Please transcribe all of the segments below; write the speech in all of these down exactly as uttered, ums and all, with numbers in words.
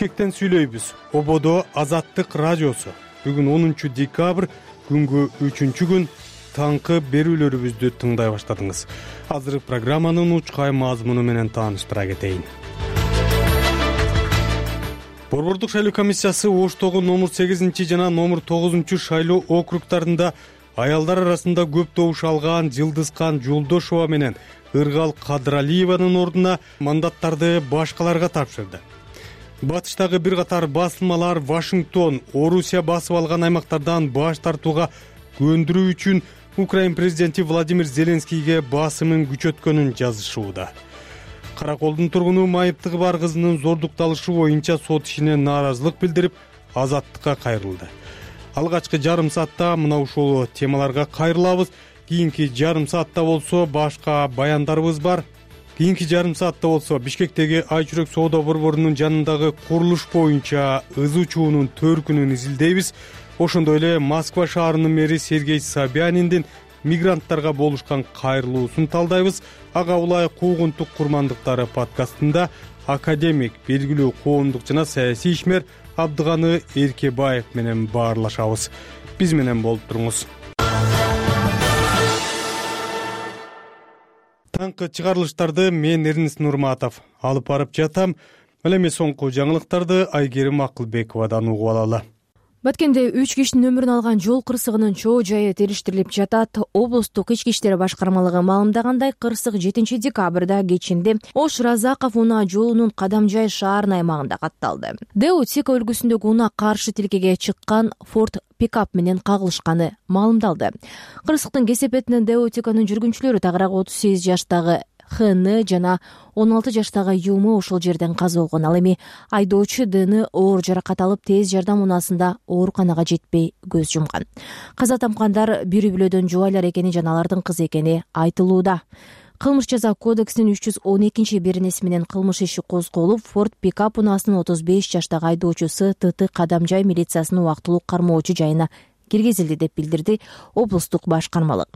Бишкектен сүйлөйбүз. Ободо Азаттык радиосу. Бүгүн онунчу декабрь, күнгө үчүнчү күн. Таңкы берүүлөрүбүздү тыңдай баштадыңыз. Азыр программанын учкай мазмуну менен тааныштыра кетейин. Борбордук шайлоо комиссиясы Оштогу номер сегизинчи жана номер тогузунчу шайлоо округдарында аялдар арасында көп добуш алган Жылдызкан Жолдошова менен Ыргал Кадыралиеванын ордуна мандаттарды башкаларга тапшырды. Батыштагы бир катар басылмалар Вашингтон, Орусия басып алган аймактардан баш тартууга көндүрүү үчүн Украин президенти Владимир Зеленскийге басымын күчөткөнүн жазышууда. Караколдун тургуну майыптыгы бар кызынын зордукталышы боюнча сот ишине нааразылык билдирип, азаттыкка кайрылды. Алгачкы жарым саатта мына ушул темаларга кайрылабыз. Кийинки жарым саатта болсо башка баяндарыбыз бар. Кийинки жарым саатта болсо Бишкектеги Айчүрөк соода борборунун жанындагы курулуш боюнча ызы чуунун төркүнүн изилдейбиз. Ошондой эле Москва шаарынын мэри Сергей Собяниндин мигранттарга болушкан кайрылуусун талдайбыз. Ага улай куугунтук курмандыктары подкастында академик, белгилүү коомдук жана саясий ишмер Абдыганы Эркебаев менен баарлашабыз. Биз менен болуп туруңуз. Таңкы чыгарылыштарды мен Эрнис Нурматов алып барып жатам. Ал эми соңку жаңылыктарды Айгерим Акылбековадан угуп алалы. Баткенде үч кишинин өмүрүн алган жол кырсыгынын чоо жайы териштирилип жатат. Облустук ички иштер башкармалыгы маалымдагандай, кырсык жетинчи декабрда кечинде Ош Разаков унаа жолунун Кадамжай шаарынын аймагында катталды. Деутика өлкөсүндөгү унаа каршы тилкеге чыккан Форд пикап менен кагылышканы маалымдалды. Кырсыктын кесепетинен Деутиканын жүргүнчүлөрү тагыраак отуз сегиз жаштагы Хны жана он алты жаштагы Юму ошол жерден каза болгон. Ал эми айдоочу Дны оор жаракат алып тез жардам унаасында ооруканага жетпей көз жумган. Каза тапкандар бир үй-бүлөдөн жубайлар экени жана алардын кызы экени айтылууда. Кылмыш жаза кодексинин үч жүз он экинчи беренеси менен кылмыш иши козголуп, Форд пикап унаасынын отуз беш жаштагы айдоочусу Тыты Кадамжай милициясынын убактылуу кармоочу жайына киргизилди деп билдирди облустук башкармалык.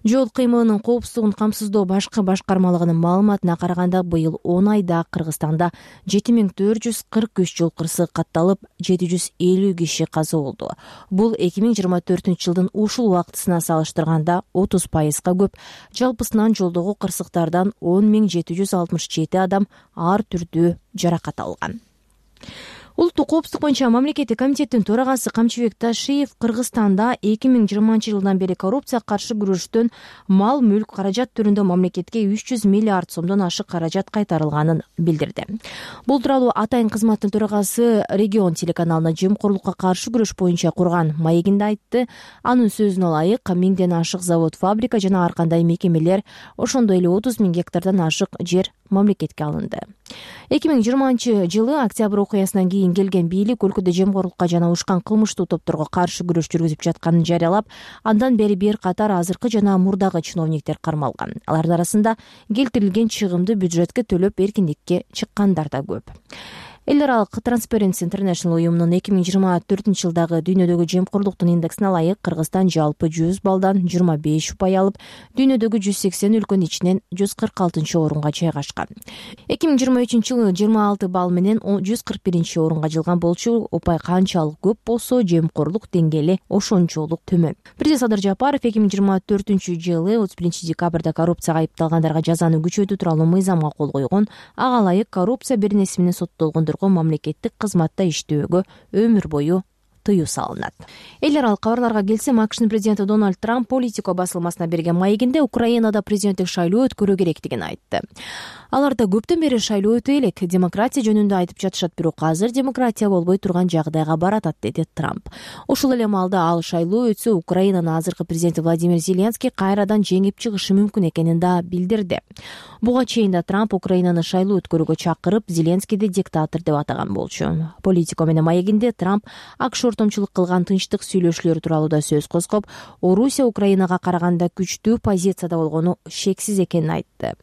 Жол кыймылынын коопсуздугун камсыздоо башкы башкармалыгынын маалыматына караганда, быйыл он айда Кыргызстанда жети миң төрт жүз кырк үч жол кырсыгы катталып, жети жүз элүү киши каза болду. Бул эки миң жыйырма төртүнчү жылдын ушул убактысына салыштырганда отуз пайызга көп. Жалпысынан жолдогу кырсыктардан он миң жети жүз алтымыш жети адам ар түрдүү жаракат алган. Улуттук коопсуздук боюнча мамлекеттик комитеттин төрагасы Камчыбек Ташиев Кыргызстанда эки миң жыйырманчы жылдан бери коррупцияга каршы күрөштөн мал мүлк каражат түрүндө мамлекетке үч жүз миллиард сомдон ашык каражат кайтарылганын билдирди. Бул тууралуу Атайын кызматтын төрагасы Регион телеканалына жемкорлукка каршы күрөш боюнча курган маегинде айтты. Анын сөзүнө ылайык, миңден ашык завод, фабрика жана ар кандай мекемелер, ошондой эле отуз миң гектардан ашык жер мамлекетке алынды. эки миң жыйырманчы жылы октябрь окуясынан кийин келген бийлик өлкөдө жемкорлукка жана ушкан кылмыштуу топторго каршы күрөш жүргүзүп жатканын жарыялап, андан бери бир катар азыркы жана мурдагы чиновниктер кармалган. Алардын арасында келтирилген чыгымды бюджетке төлөп эркиндикке чыккандар да көп. Эл аралык Transparency International уюмунун эки миң жыйырма төртүнчү жылдагы дүйнөдөгү жемкорлуктун индексине ылайык, Кыргызстан жалпы жүз балдан жыйырма беш упай алып, дүйнөдөгү жүз сексен өлкөнүн ичинен жүз кырк алтынчы орунга жайгашкан. эки миң жыйырма үчүнчү жылы жыйырма алты балл менен жүз кырк биринчи орунга жылган болчу. Упай канчалык көп болсо, жемкорлук деңгээли ошончолук төмөн. Президент Садыр Жапаров эки миң жыйырма төртүнчү жылы отуз биринчи декабрда коррупцияга айыпталгандарга жазаны күчөтүү тууралуу мыйзамга кол койгон. Ага ылайык коррупция беренеси менен соттолгондор мамлекеттик кызматта иштөөгө өмүр бою тыюу салынат. Эл аралык кабарларга келсем, АКШнын президенти Дональд Трамп Политико басылмасына берген маегинде Украинада президенттик шайлоо өткөрүү керектигин айтты. Аларда көптөн бери шайлоо өтө элек, демократия жөнүндө айтып жатышат, бирок азыр демократия болбой турган жагдайга баратат, деди Трамп. Ошол эле маалда ал шайлоо өтсө, Украинанын азыркы президенти Владимир Зеленский кайрадан жеңип чыгышы мүмкүн экенин да билдирди. Буга чейин да Трамп Украинаны шайлоо өткөрүүгө чакырып, Зеленскийди диктатор деп атаган болчу. Политико менен маегинде Трамп АКШ ортомчулук кылган тынчтык сүйлөшүүлөр тууралуу да сөз козгоп, Орусия Украинага караганда күчтүү позицияда болгону шексиз экенин айтты.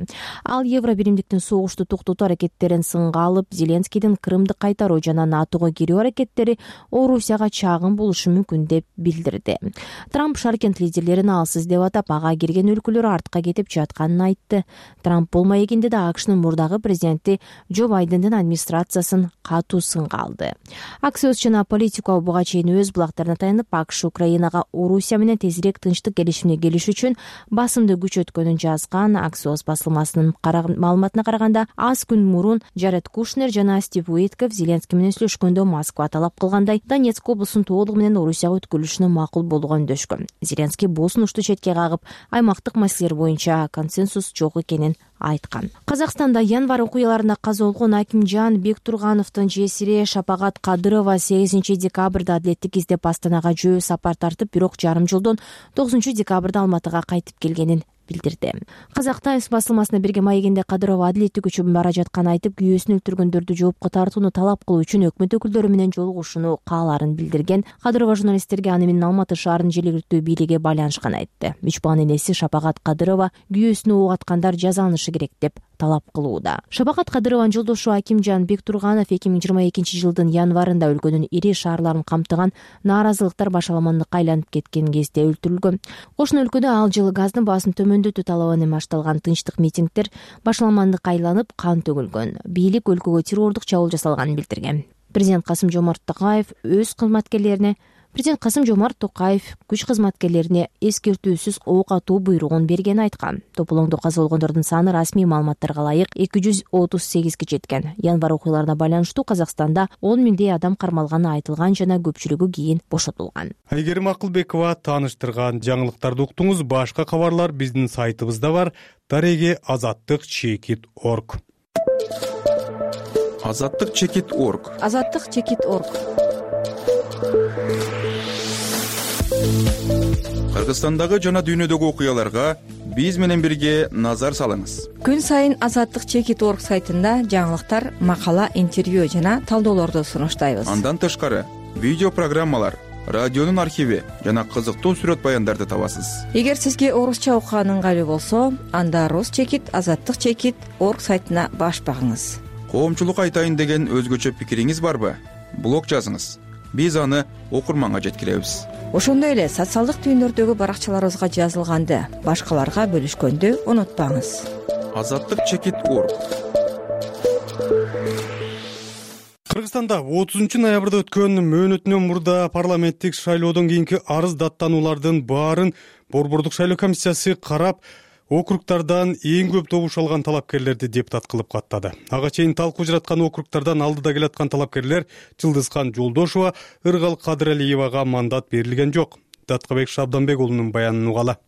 Ал Евро биримдиктин согушту токтотуу аракеттерин сынга алып, Зеленскийдин Крымды кайтаруу жана НАТОго кирүү аракеттери Орусияга чагым болушу мүмкүн деп билдирди. Трамп Шаркент лидерлерин алсыз деп атап, ага кирген өлкөлөр артка кетип жатканын айтты. Трамп болмой экенде да АКШнын мурдагы президенти Джо Байдендин администрациясын катуу сынга алды. Аксиос жана Политико буга чейин өз булактарына таянып, АКШ Украинага Орусия менен тезирээк тынчтык келишимине келиш үчүн басымды күчөткөнүн жазган. Аксиос басылмасынын маалыматына караганда, аз күн мурун Джаред Кушнер жана Стив Уитков Зеленский менен сүйлөшкөндө Москва талап кылгандай Донецк облусунун толугу менен Орусияга өткөрүлүшүнө макул болууга үндөшкөн. Зеленский бул сунушту четке кагып, аймактык маселелер боюнча консенсус жок экенин айткан. Казакстанда январь окуяларында каза болгон Акимжан Бектургановдун жесири Шапагат Кадырова сегизинчи декабрда адилеттик издеп Астанага жөө сапар тартып, бирок жарым жолдон тогузунчу декабрда Алматыга кайтып келгенин билдирди. Казак Таймс басылмасына берген маегинде Кадырова адилеттик үчүн бара жатканын айтып, күйөөсүн өлтүргөндөрдү жоопко тартууну талап кылуу үчүн өкмөт өкүлдөрү менен жолугушууну каалаарын билдирген. Кадырова журналисттерге аны менен Алматы шаарынын жергиликтүү бийлиги байланышканын айтты. Үч баланын энеси Шапагат Кадырова күйөөсүнө ок аткандар жазаланышы керек деп талап кылууда. Шапагат Кадырованын жолдошу Акимжан Бектурганов эки миң жыйырма экинчи жылдын январында өлкөнүн ири шаарларын камтыган нааразылыктар башаламандыкка айланып кеткен кезде өлтүрүлгөн. Кошуна өлкөдө ал жылы газдын баасын төмөндөтүү талабы менен башталган тынчтык митингдер башаламандыкка айланып, кан төгүлгөн. Бийлик өлкөгө террордук чабуул жасалганын билдирген. Президент Касым Жомарт Токаев өз кызматкерлерине Президент Касым Жомарт Токаев күч кызматкерлерине эскертүүсүз ок атуу буйругун бергенин айткан. Тополоңдо каза болгондордун саны расмий маалыматтарга ылайык эки жүз отуз сегизге жеткен. Январь окуяларына байланыштуу Казакстанда он миңдей адам кармалганы айтылган жана көпчүлүгү кийин бошотулган. Айгерим Акылбекова тааныштырган жаңылыктарды уктуңуз. Башка кабарлар биздин сайтыбызда бар. Дареги азаттык чекит орг. азаттык чекит орг. азаттык чекит орг. Кыргызстандагы жана дүйнөдөгү окуяларга биз менен бирге назар салыңыз. Күн сайын азаттык чекит орг сайтында жаңылыктар, макала, интервью жана талдоолорду сунуштайбыз. Андан тышкары видео программалар, радионун архиви жана кызыктуу сүрөт баяндарды табасыз. Эгер сизге орусча окуган ыңгайлуу болсо, анда рус чекит азаттык чекит орг сайтына баш багыңыз. Коомчулук айтайын деген өзгөчө пикириңиз барбы? Блог жазыңыз. Биз аны окурманга жеткиребиз. Ошондой эле социалдык түйүндөрдөгү баракчаларыбызга жазылганды башкаларга бөлүшкөндү унутпаңыз. азаттык чекит орг. Кыргызстанда отузунчу ноябрда өткөн мөөнөтүнөн мурда парламенттик шайлоодон кийинки арыз даттануулардын баарын Борбордук шайлоо комиссиясы карап, округтардан эң көп добуш алган талапкерлерди депутат кылып каттады. Ага чейин талкуу жараткан округтардан алдыда келаткан талапкерлер Жылдызкан Жолдошова, Ыргал Кадыралиевага мандат берилген жок. Даткабек Шабданбек уулунун баянын угала.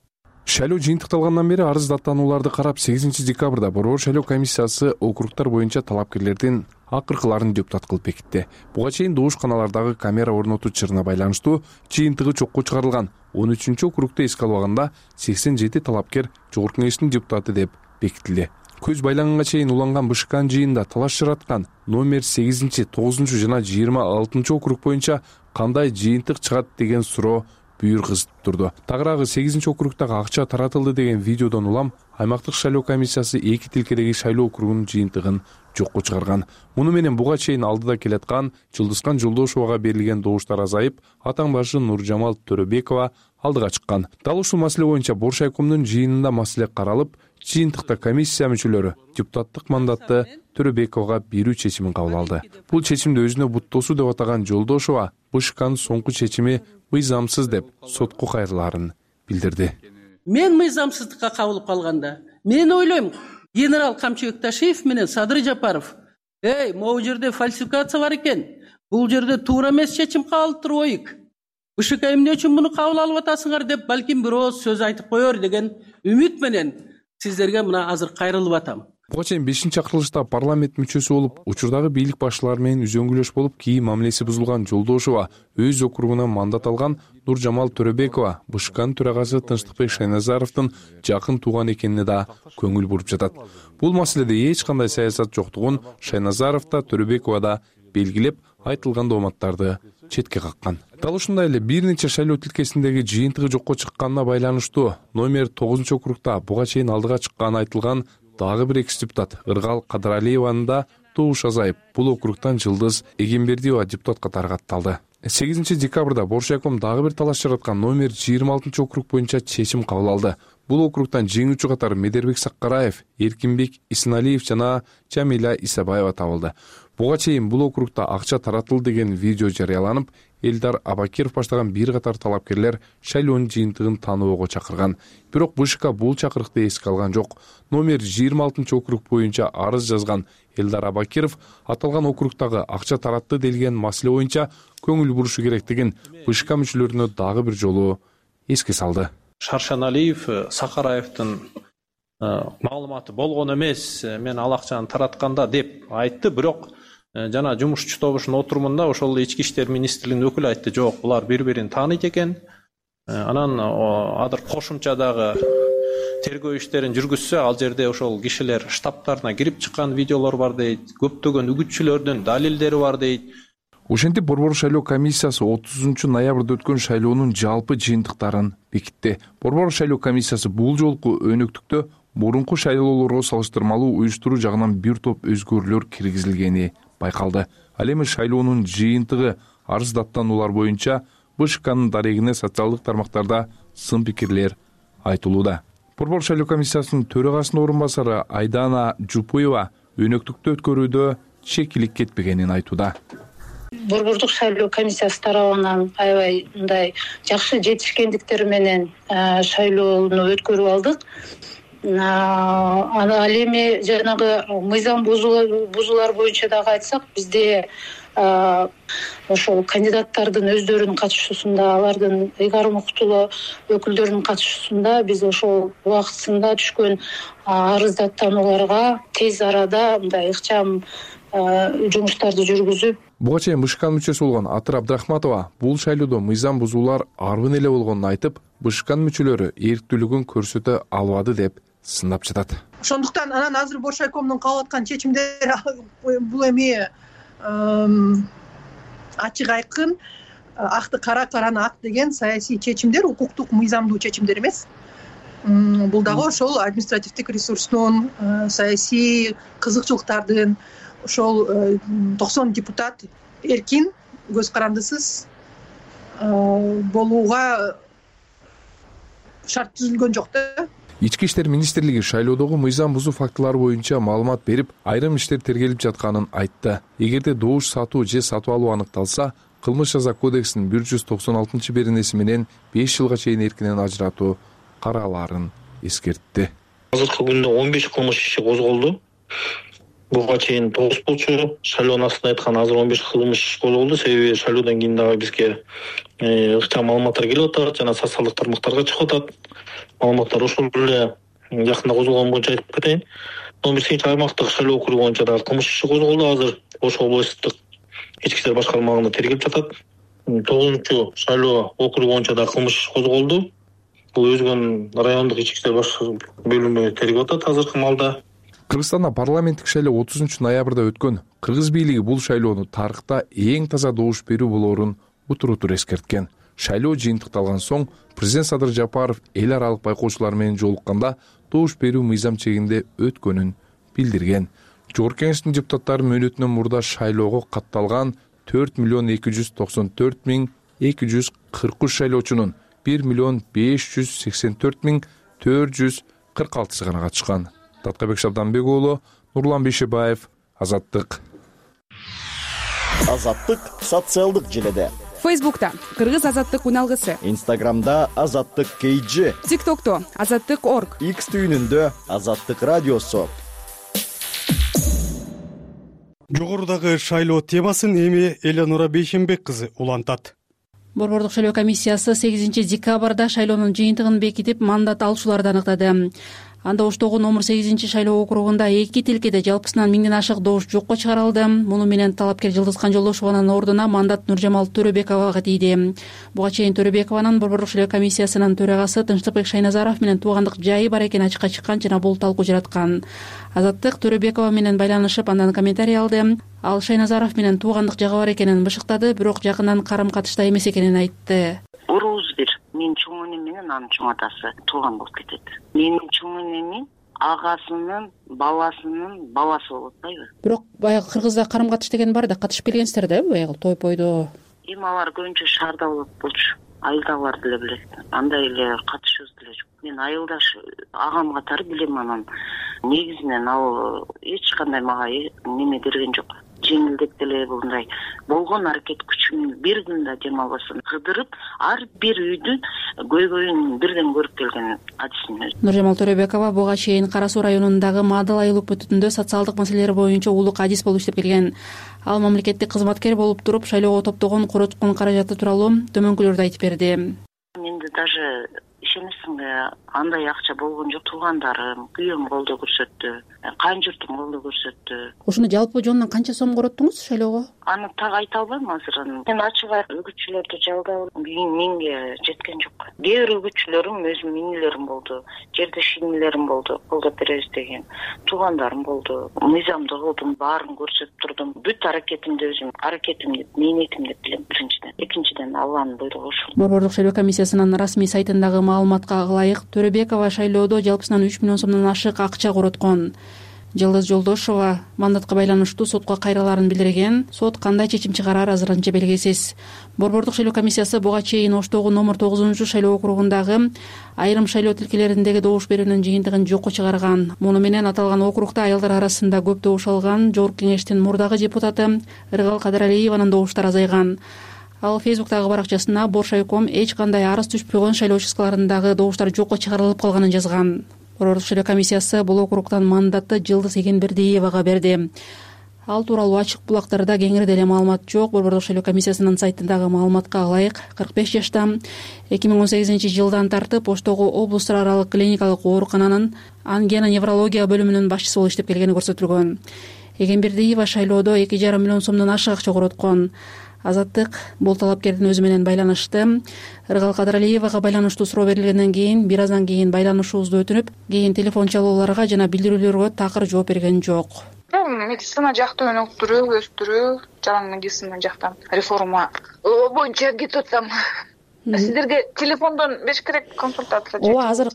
Шайлоо жыйынтыкталгандан бери арыз даттанууларды карап, сегизинчи декабрда Борбор шайлоо комиссиясы округтар боюнча талапкерлердин акыркыларын депутат кылып бекитти. Буга чейин добушканалардагы камера орнотуучарына байланыштуу жыйынтыгы чокко чыгарылган он үчүнчү округду эске албаганда сексен жети талапкер жогорку кеңештин депутаты деп бекитилди. Көз байланганга чейин уланган БШКнын жыйынында талаш жараткан номер сегизинчи, тогузунчу жана жыйырма алтынчы округ боюнча кандай жыйынтык чыгат деген суроо бүйүр кызытып турду. Тагыраагы сегизинчи округдагы акча таратылды деген видеодон улам аймактык шайлоо комиссиясы эки тилкедеги шайлоо округунун жыйынтыгын жокко чыгарган. Муну менен буга чейин алдыда келаткан Жылдызкан Жолдошовага берилген добуштар азайып, атаң башы Нуржамал Төрөбекова алдыга чыккан. Дал ушул маселе боюнча Боршайкомдун жыйынында маселе каралып, жыйынтыкта комиссия мүчөлөрү депутаттык мандатты Төрөбековага берүү чечимин кабыл алды. Бул чечимди өзүнө буттоосу деп атаган Жолдошова БШКнын соңку чечими мыйзамсыз деп сотко кайрылаарын билдирди. Мен мыйзамсыздыкка кабылып калганда, мен ойлойм, генерал Камчы Бекташиев менен Садыр Жапаров, эй, могу жерде фальсификация бар экен. Бул жерде туура эмес чечим кабыл турбойбук. БШК эмне үчүн муну кабыл алып атасыңар деп балким бир ооз сөз айтып коер деген үмүт менен сиздерге мына азыр кайрылып атам. Буга чейин бешинчи акырылышта парламент мүчөсү болуп, учурдагы бийлик башчылары менен үзөңгүлөш болуп, кийин мамилеси бузулган Жолдошова өз округунан мандат алган Нуржамал Төрөбекова БШКнын төрагасы Тынчтыкбек Шайназаровдун жакын тууган экенине да көңүл буруп жатат. Бул маселеде эч кандай саясат жоктугун Шайназаров да Төрөбекова да белгилеп, айтылган дооматтарды четке каккан. Дал ушундай эле бир нече шайлоо тилкесиндеги жыйынтыгы жокко чыкканына байланыштуу номер тогузунчу округда буга чейин алдыга чыкканы айтылган дагы бир экс депутат Ыргал Кадыралиеванын да добуш азайып, бул округтан Жылдыз Эгембердиева депутат катары катталды. сегизинчи декабрда Боршайком дагы бир талаш жараткан номер жыйырма алтынчы округ боюнча чечим кабыл алды. Бул округтан жеңүүчү катары Медербек Саккараев, Эркинбек Исеналиев жана Жамиля Исабаева табылды. Буга чейин бул округда акча таратылды деген видео жарыяланып, Элдар Абакиров баштаган бир катар талапкерлер шайлоонун жыйынтыгын тааныбоого чакырган. Бирок БШК бул чакырыкты эске алган жок. Номер жыйырма алтынчы округ боюнча арыз жазган Элдар Абакиров аталган округдагы акча таратты делген маселе боюнча көңүл бурушу керектигин БШК мүчөлөрүнө дагы бир жолу эске салды. Шаршаналиев Сакараевдин маалыматы болгон эмес, мен ал акчаны таратканда деп айтты, бирок жана жумушчу тобушунун отурумунда ошол ички иштер министрлигинин өкүлү айтты, жок, булар бири-бирин тааныйт экен. Анан азыр кошумчадагы тергөө иштерин жүргүзсө, ал жерде ошол кишилер штабтарына кирип чыккан видеолор бар дейт, көптөгөн үгүтчүлөрдүн далилдери бар дейт. Ошентип Борбор шайлоо комиссиясы отузунчу ноябрда өткөн шайлоонун жалпы жыйынтыктарын бекитти. Борбор шайлоо комиссиясы бул жолку өнөктүктө мурунку шайлоолорго салыштырмалуу уюштуруу жагынан бир топ өзгөрүүлөр киргизилгени байкалды. Ал эми шайлоонун жыйынтыгы арыз даттануулар боюнча БШКнын дарегине социалдык тармактарда сын пикирлер айтылууда. Борбор шайлоо комиссиясынын төрагасынын орун басары Айдана Жупуева өнөктүктө өткөрүүдө чекилик кетпегенин айтууда. Борбордук шайлоо комиссиясы тарабынан аябай мындай жакшы жетишкендиктер менен шайлоону өткөрүп алдык. Ал эми жанагы мыйзам бузуулар боюнча дагы айтсак, бизде ошол кандидаттардын өздөрүнүн катышуусунда, алардын ыйгарым укуктуу өкүлдөрүнүн катышуусунда биз ошол убактысында түшкөн арыз даттанууларга тез арада мындай ыкчам жумуштарды жүргүзүп. Буга чейин БШКнын мүчөсү болгон Атыр Абдрахматова бул шайлоодо мыйзам бузуулар арбын эле болгонун айтып, БШКнын мүчөлөрү эрктүүлүгүн көрсөтө албады деп сындап жатат. Ошондуктан анан азыр Боршайкомдун кабыл аткан чечимдери бул эми ачык айкын, акты кара, караны ак деген саясий чечимдер, укуктук мыйзамдуу чечимдер эмес. Бул дагы ошол административдик ресурстун, саясий кызыкчылыктардын, ошол токсон депутат эркин, көз карандысыз болууга шарт түзүлгөн жок да. Ички иштер министрлиги шайлоодогу мыйзам бузуу фактылары боюнча маалымат берип, айрым иштер тергелип жатканын айтты. Эгерде добуш сатуу же сатып алуу аныкталса, кылмыш жаза кодексинин бир жүз токсон алтынчы беренеси менен беш жылга чейин эркинен ажыратуу каралаарын эскертти. Азыркы күндө он беш кылмыш иши козголду. Буга чейин тогуз болчу, шайлоонун астында айткан азыр он беш кылмыш иш козголду. Себеби шайлоодон кийин дагы бизге ыкчам маалыматтар келип атат жана социалдык тармактарга чыгып атат. Маалыматтар ошол эле жакында козголгон боюнча айтып кетейин. он бешинчи аймактык шайлоо округу боюнча дагы кылмыш иши козголду. Азыр Ош облустук ички иштер башкармалыгында тергелип жатат. тогузунчу шайлоо округу боюнча дагы кылмыш иши козголду. Бул өзгөн райондук ички иштер бөлүмү тергеп атат азыркы маалда. Кыргызстанда парламенттик шайлоо отузунчу ноябрда өткөн. Кыргыз бийлиги бул шайлоону тарыхта эң таза добуш берүү болоорун утур-утур эскерткен. Шайлоо жыйынтыкталган соң президент Садыр Жапаров эл аралык байкоочулар менен жолукканда добуш берүү мыйзам чегинде өткөнүн билдирген. Жогорку Кеңештин депутаттары мөөнөтүнөн мурда шайлоого катталган төрт миллион эки жүз токсон төрт миң эки жүз кырк үч шайлоочунун бир миллион беш жүз сексен төрт миң төрт жүз кырк алтысы гана катышкан. Таткабек Шабданбек уулу, Нурлан Бейшебаев, Азаттык. Азаттык социалдык желеде. Фейсбукта Кыргыз Азаттык уналгысы. Инстаграмда Азаттык кейджи. ТикТокто Азаттык орг. Икс түйүнүндө Азаттык радиосу. Жогорудагы шайлоо темасын эми Эленора Бейшембек кызы улантат. Борбордук шайлоо комиссиясы сегизинчи декабрда шайлоонун жыйынтыгын бекитип, мандат алуучуларды аныктады. анда Оштогу номер сегизинчи шайлоо округунда эки тилкеде жалпысынан миңден ашык добуш жокко чыгарылды. Муну менен талапкер Жылдызкан Жолдошованын ордуна мандат Нуржамал Төрөбековага тийди. Буга чейин Төрөбекованын Борбордук шайлоо комиссиясынын төрагасы Тынчтыкбек Шайназаров менен туугандык жайы бар экени ачыкка чыккан жана бул талкуу жараткан. Азаттык Төрөбекова менен байланышып андан комментарий алды. Ал Шайназаров менен туугандык жагы бар экенин бышыктады, бирок жакындан карым-катышта эмес экенин айтты. Урубуз бир. Менин чоң энем менен анын чоң атасы тууган болуп кетет. Менин чоң энемин агасынын баласынын баласы болот атпайбы? Бирок баягы кыргызда карым-катыш деген бар да, катышып келгенсиздер да баягы той-пойдо. Эми алар көбүнчө шаарда болот болчу. Айылдагылар деле билет. Андай эле катышыбыз деле жок. Мен айылдаш агам катары билем анан. Негизинен ал эч кандай мага неме берген жок. Жеңилдеп деле мындай болгон аракет күчүмдү бир күн да дем албастан кыдырып, ар бир үйдүн көйгөйүн бирден көрүп келген адисим. Нуржамал Төрөбекова буга чейин Кара Суу районундагы Маадыл айыл өкмөтүндө социалдык маселелер боюнча улук адис болуп иштеп келген. Ал мамлекеттик кызматкер болуп туруп, шайлоого топтогон короткон каражаты тууралуу төмөнкүлөрдү айтып берди. Менде даже ишенесиңби, андай акча болгон жок. Туугандарым, күйөөм колдоо көрсөттү, кайын-журтум колдоо көрсөттү. Ошону жалпы жонунан канча сом короттуңуз шайлоого? Аны так айта албайм азыр. Мен ачык айтып үгүтчүлөрдү жалдап миңге жеткен жок. Кээ бир үгүтчүлөрүм өзүм минилерим болду, жерде шинилерим болду, колдоп беребиз деген. Туугандарым болду. Мыйзамды кылдым, баарын көрсөтүп турдум. Бүт аракетимди өзүм, аракетимди, мээнетим деп билем биринчиден. Экинчиден Алланын буйругу ушул. Борбордук шайлоо комиссиясынын расмий сайтындагы маалыматка ылайык, Төрөбекова шайлоодо жалпысынан үч миллион сомдон ашык акча короткон. Жылдыз Жолдошова мандатка байланыштуу сотко кайрылаарын билдирген. Сот кандай чечим чыгарар азырынча белгисиз. Борбордук шайлоо комиссиясы буга чейин Оштогу номер тогузунчу шайлоо округундагы айрым шайлоо тилкелериндеги добуш берүүнүн жыйынтыгын жокко чыгарган. Муну менен аталган округда аялдар арасында көп добуш алган Жогорку Кеңештин мурдагы депутаты Ыргал Кадралиеванын добуштары азайган. Ал Фейсбуктагы баракчасына Боршайком эч кандай арыз түшпөй койгон шайлоо участкаларындагы добуштар жокко чыгарылып калганын жазган. Борбордук шайлоо комиссиясы бул округтан мандатты Жылдыз Эгенбердиевага берди. Ал тууралуу ачык булактарда кеңири деле маалымат жок. Борбордук шайлоо комиссиясынын сайтындагы маалыматка ылайык, кырк беш жашта, эки миң он сегизинчи жылдан тартып Оштогу облустар аралык клиникалык оорукананын ангино-неврология бөлүмүнүн башчысы болуп иштеп келгени көрсөтүлгөн. Эгенбердиева шайлоодо эки жарым миллион сомдон ашык акча короткон. Азаттык бул талапкердин өзү менен байланышты. Ыргал Кадралиевага байланыштуу суроо берилгенден кийин бир аздан кийин байланышуубузду өтүнүп, кийин телефон чалууларга жана билдирүүлөргө такыр жооп берген жок. Медицина жактан өнүктүрүү, өстүрүү, жаран медицина жактан реформа боюнча кетип атам. Сиздерге телефондон бериш керек консультация. Ооба, азыр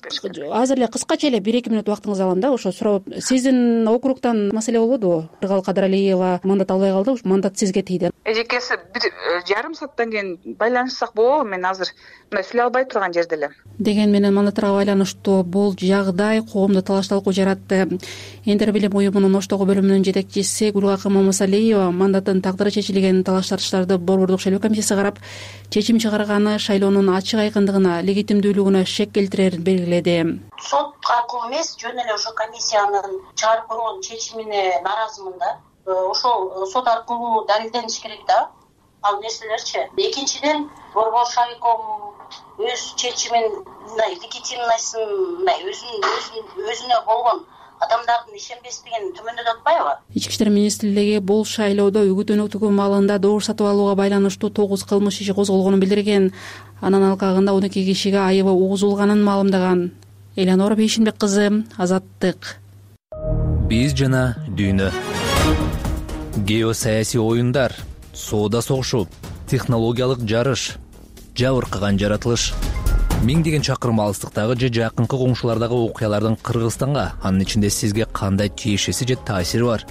азыр эле кыскача эле бир эки мүнөт убактыңызды алам да. Ошо суроо, сиздин округтан маселе болбодубу? Ыргал Кадралиева мандат албай калды, мандат сизге тийди. Эжекеси бир жарым сааттан кийин байланышсак болобу? Мен азыр мындай сүйлөй албай турган жерде элем. Деген менен мандаттарга байланыштуу бул жагдай коомдо талаш талкуу жаратты. Эндер билим уюмунун Оштогу бөлүмүнүн жетекчиси Гүлгакы Мамасалиева мандаттын тагдыры чечилген талаш тартыштарды Борбордук шайлоо комиссиясы карап, чечим чыгарганы шайлоонун ачык айкындыгына, легитимдүүлүгүнө шек келтирерин белгиледи. Сот аркылуу эмес, жөн эле ошо комиссиянын чыгарып койгон чечимине нааразымын да. Ошол сот аркылуу далилдениш керек да. Ал нерселерчи. Экинчиден, Борбор шайком өз чечимин мындай легитимныйсын, мындай өзүнүн өзүнө болгон адамдардын ишенбестигин төмөндөтүп атпайбы? Ички иштер министрлиги бул шайлоодо үгүт өнөктүгү маалында добуш сатып алууга байланыштуу тогуз кылмыш иши козголгонун билдирген. Анын алкагында он эки кишиге айыбы угузулганын маалымдаган. Элянора Бейшинбек кызы, Азаттык. Биз жана дүйнө. Геосаясий оюндар, соода согушу, технологиялык жарыш, жабыркаган жаратылыш. Миңдеген чакырым алыстыктагы же жакынкы коңшулардагы окуялардын Кыргызстанга, анын ичинде сизге кандай тиешеси же таасири бар?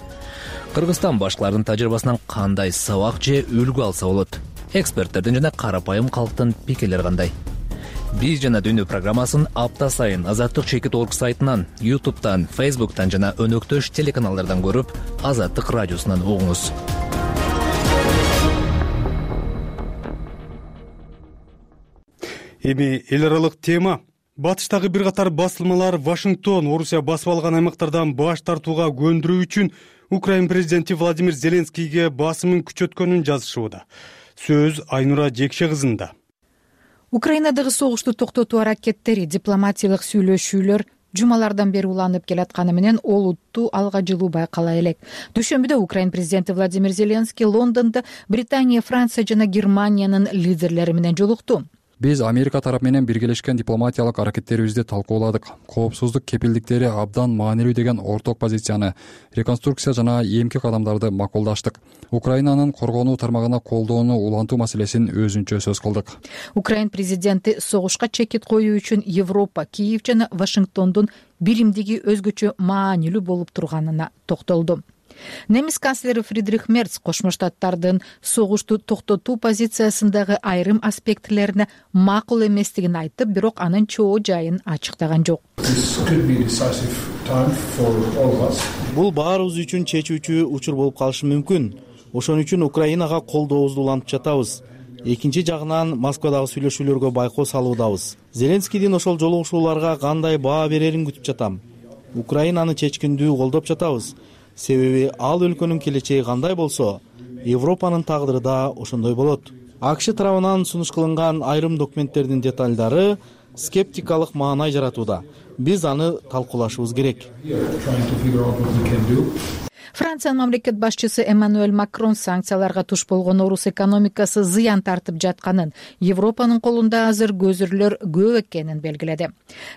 Кыргызстан башкалардын тажрыйбасынан кандай сабак же үлгү алса болот? Эксперттердин жана карапайым калктын пикирлери кандай? Биз жана дүйнө программасын апта сайын Азаттык чекит точка орг сайтынан, ютубтан, фейсбуктан жана өнөктөш телеканалдардан көрүп, Азаттык радиосунан угуңуз. Эми эл аралык тема. Батыштагы бир катар басылмалар Вашингтон Орусия басып алган аймактардан баш тартууга көндүрүү үчүн Украин президенти Владимир Зеленскийге басымын күчөткөнүн жазышууда. Сөз Айнура Жекше кызында. Украинадагы согушту токтотуу аракеттери, дипломатиялык сүйлөшүүлөр жумалардан бери уланып келатканы менен олуттуу алга жылуу байкала элек. Дүйшөмбүдө Украина президенти Владимир Зеленский Лондондо Британия, Франция жана Германиянын лидерлери менен жолукту. Биз Америка тарап менен биргелешкен дипломатиялык аракеттерибизди талкууладык. Коопсуздук кепилдиктери абдан маанилүү деген орток позицияны, реконструкция жана эмки кадамдарды макулдаштык. Украинанын коргонуу тармагына колдоону улантуу маселесин өзүнчө сөз кылдык. Украина президенти согушка чекит коюу үчүн Европа, Киев жана Вашингтондун биримдиги өзгөчө маанилүү болуп турганына токтолду. Немис канцлери Фридрих Мерц Кошмо Штаттардын согушту токтотуу позициясындагы айрым аспектилерине макул эместигин айтып, бирок анын чоо жайын ачыктаган жок. Бул баарыбыз үчүн чечүүчү учур болуп калышы мүмкүн. Ошон үчүн Украинага колдообузду улантып жатабыз. Экинчи жагынан Москвадагы сүйлөшүүлөргө байкоо салуудабыз. Зеленскийдин ошол жолугушууларга кандай баа берерин күтүп жатам. Украинаны чечкиндүү колдоп жатабыз. Себеби ал өлкөнүн келечеги кандай болсо, Европанын тагдыры да ошондой болот. АКШ тарабынан сунуш кылынган айрым документтердин деталдары скептикалык маанай жаратууда. Биз аны талкуулашыбыз керек. Франциянын мамлекет башчысы Эммануэль Макрон санкцияларга туш болгон орус экономикасы зыян тартып жатканын, Европанын колунда азыр көзүрлөр көп экенин белгиледи.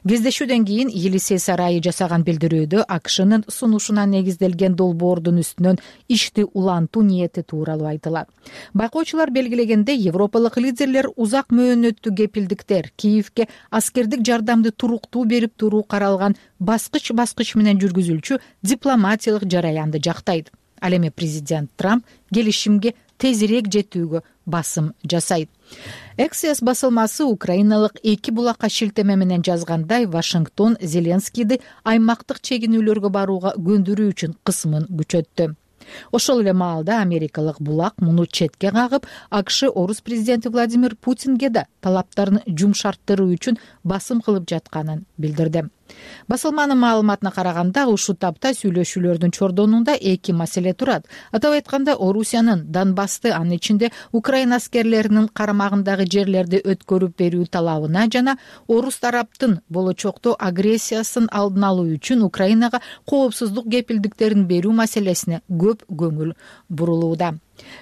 Кездешүүдөн кийин Елисей сарайы жасаган билдирүүдө АКШнын сунушуна негизделген долбоордун үстүнөн ишти улантуу ниети тууралуу айтылат. Байкоочулар белгилегендей, европалык лидерлер узак мөөнөттүү кепилдиктер, Киевке аскердик жардамды туруктуу берип туруу каралган баскыч-баскыч менен жүргүзүлчү дипломатиялык жараянды жактайт. Ал эми президент Трамп келишимге тезирээк жетүүгө басым жасайт. Эксиос басылмасы украиналык эки булакка шилтеме менен жазгандай, Вашингтон Зеленскийди аймактык чегинүүлөргө барууга көндүрүү үчүн кысымын күчөттү. Ошол эле маалда америкалык булак муну четке кагып, АКШ орус президенти Владимир Путинге да талаптарын жумшарттыруу үчүн басым кылып жатканын билдирди. Басылманын маалыматына караганда, ушул тапта сүйлөшүүлөрдүн чордонунда эки маселе турат. Атап айтканда, Орусиянын Донбассты, анын ичинде Украина аскерлеринин карамагындагы жерлерди өткөрүп берүү талабына жана орус тараптын болочокто агрессиясын алдын алуу үчүн Украинага коопсуздук кепилдиктерин берүү маселесине көп көңүл бурулууда.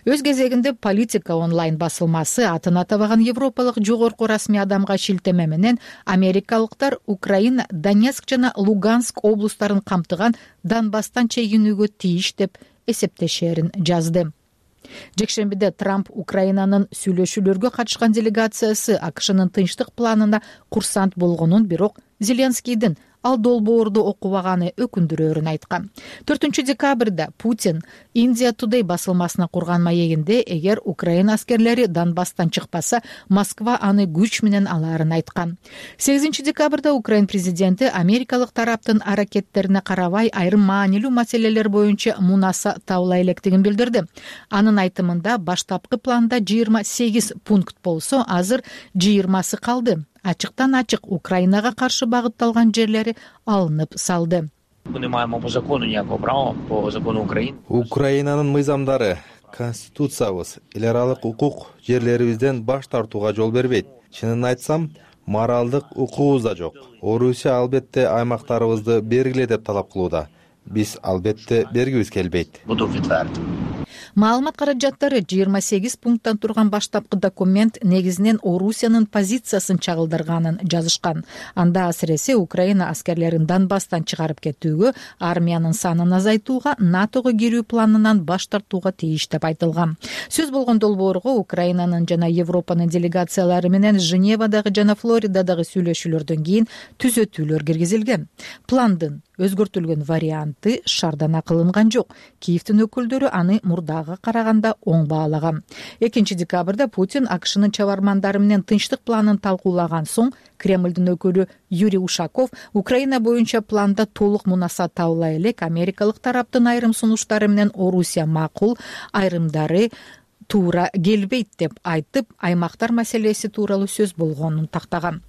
Өз кезегинде Политика онлайн басылмасы атын атабаган европалык жогорку расмий адамга шилтеме менен америкалыктар Украина, Донецк жана Луганск облустарын камтыган Донбасстан чегинүүгө тийиш деп эсептешерин жазды. Жекшембиде Трамп Украинанын сүйлөшүүлөргө катышкан делегациясы АКШнын тынчтык планына курсант болгонун, бирок Зеленскийдин ал долбоорду окубаганы өкүндүрөөрүн айткан. төртүнчү декабрда Путин Индия Today басылмасына курган маегинде, эгер Украина аскерлери Донбасстан чыкпаса, Москва аны күч менен алаарын айткан. сегизинчи декабрда Украина президенти америкалык тараптын аракеттерине карабай айрым маанилүү маселелер боюнча мунаса табыла электигин билдирди. Анын айтымында, баштапкы планда жыйырма сегиз пункт болсо, азыр жыйырмасы калды. Ачыктан ачык Украинага каршы багытталган жерлери алынып салды. Украинанын мыйзамдары, конституциябыз, эл аралык укук жерлерибизден баш тартууга жол бербейт. Чынын айтсам, моралдык укугубуз да жок. Орусия албетте аймактарыбызды бергиле деп талап кылууда. Биз албетте бергибиз келбейт. Маалымат каражаттары жыйырма сегиз пункттан турган баштапкы документ негизинен Орусиянын позициясын чагылдырганын жазышкан. Анда асыресе Украина аскерлерин Донбасстан чыгарып кетүүгө, армиянын санын азайтууга, НАТОго кирүү планынан баш тартууга тийиш деп айтылган. Сөз болгон долбоорго Украинанын жана Европанын делегациялары менен Женевадагы жана Флоридадагы сүйлөшүүлөрдөн кийин түзөтүүлөр киргизилген. Пландын өзгөртүлгөн варианты шаардана кылынган жок. Киевдин өкүлдөрү аны мурдага караганда оң баалаган. экинчи декабрда Путин АКШнын чабармандары менен тынчтык планын талкуулаган соң, Кремлдин өкүлү Юрий Ушаков Украина боюнча планда толук мунаса табыла элек, америкалык тараптын айрым сунуштары менен Орусия макул, айрымдары туура келбейт деп айтып, аймактар маселеси тууралуу сөз болгонун тактаган.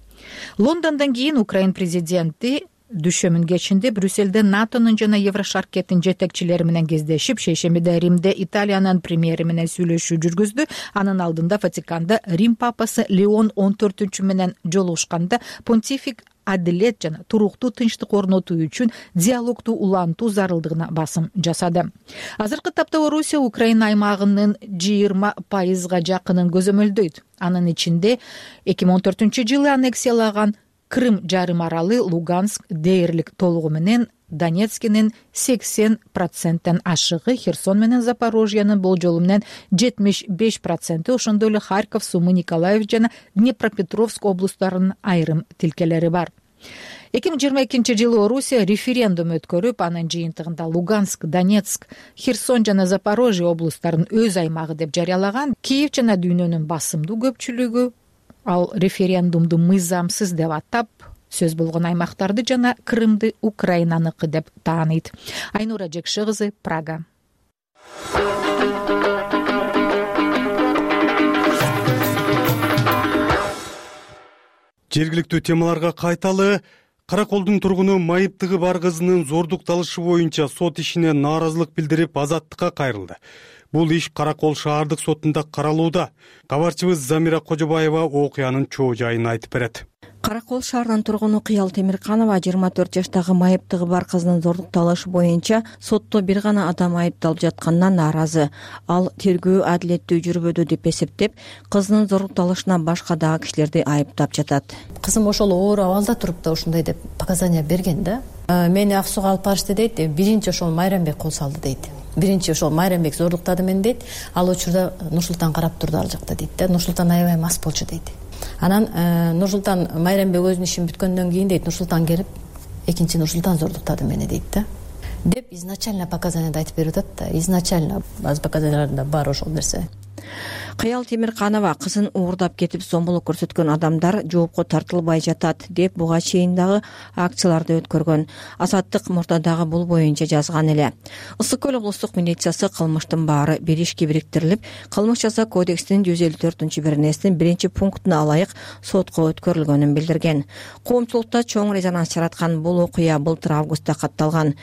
Лондондон кийин Украина президенти дүйшөмүн кечинде Брюссельде натонун жана Еврошаркеттин жетекчилери менен кездешип, шейшембиде Римде Италиянын премьери менен сүйлөшүү жүргүздү. Анын алдында Ватиканда Рим папасы Леон он төртүнчү менен жолугушканда понтифик адилет жана туруктуу тынчтык орнотуу үчүн диалогду улантуу зарылдыгына басым жасады. Азыркы тапта Орусия Украина аймагынын жыйырма пайызга жакынын көзөмөлдөйт. Анын ичинде эки миң он төртүнчү жылы аннексиялаган Крым жарым аралы, Луганск дээрлик толугу менен, Донецкинин сексен проценттен ашыгы, Херсон менен Запорожьянын болжолу менен жетимиш беш проценти, ошондой эле Харьков, Сумы, Николаев жана Днепропетровск облустарынын айрым тилкелери бар. эки миң жыйырма экинчи жылы Орусия референдум өткөрүп, анын жыйынтыгында Луганск, Донецк, Херсон жана Запорожье облустарын өз аймагы деп жарыялаган. Киев жана дүйнөнүн басымдуу көпчүлүгү ал референдумду мыйзамсыз деп атап, сөз болгон аймактарды жана Крымды Украинаныкы деп тааныйт. Айнура Жекше кызы, Прага. Жергиликтүү темаларга кайталы. Караколдун тургуну майыптыгы бар кызынын зордукталышы боюнча сот ишине нааразылык билдирип азаттыкка кайрылды. Бул иш Каракол шаардык сотунда каралууда. Кабарчыбыз Замира Кожобаева окуянын чоо жайын айтып берет. Каракол шаарынын тургуну Кыял Темирканова жыйырма төрт жаштагы майыптыгы бар кызынын зордукталышы боюнча сотто бир гана адам айыпталып жатканына нааразы. Ал тергөө адилеттүү жүрбөдү деп эсептеп, кызынын зордукталышына башка дагы кишилерди айыптап жатат. Кызым ошол оор абалда туруп да ушундай деп показания берген да. Мени ак сууга алып барышты дейт. Биринчи ошол Майрамбек кол салды дейт. Биринчи ошол Майрамбек зордуктады мени дейт. Ал учурда Нурсултан карап турду ал жакта дейт да. Нурсултан аябай мас болчу дейт. Анан Нурсултан Майрамбек өзүнүн ишин бүткөндөн кийин дейт Нурсултан келип, экинчи Нурсултан зордуктады мени дейт да. Деп изначально показанияда айтып берип атат да. Изначально база показанияларында бар ошол нерсе. Кыял Темирканова кызын уурдап кетип зомбулук көрсөткөн адамдар жоопко тартылбай жатат деп буга чейин дагы акцияларды өткөргөн. Азаттык мурдадагы бул боюнча жазган эле. Ысык көл облустук милициясы кылмыштын баары бир ишке бириктирилип, кылмыш жаза кодексинин жүз элүү төртүнчү беренесинин биринчи пунктуна ылайык сотко өткөрүлгөнүн билдирген. Коомчулукта чоң резонанс жараткан бул окуя былтыр августта катталган.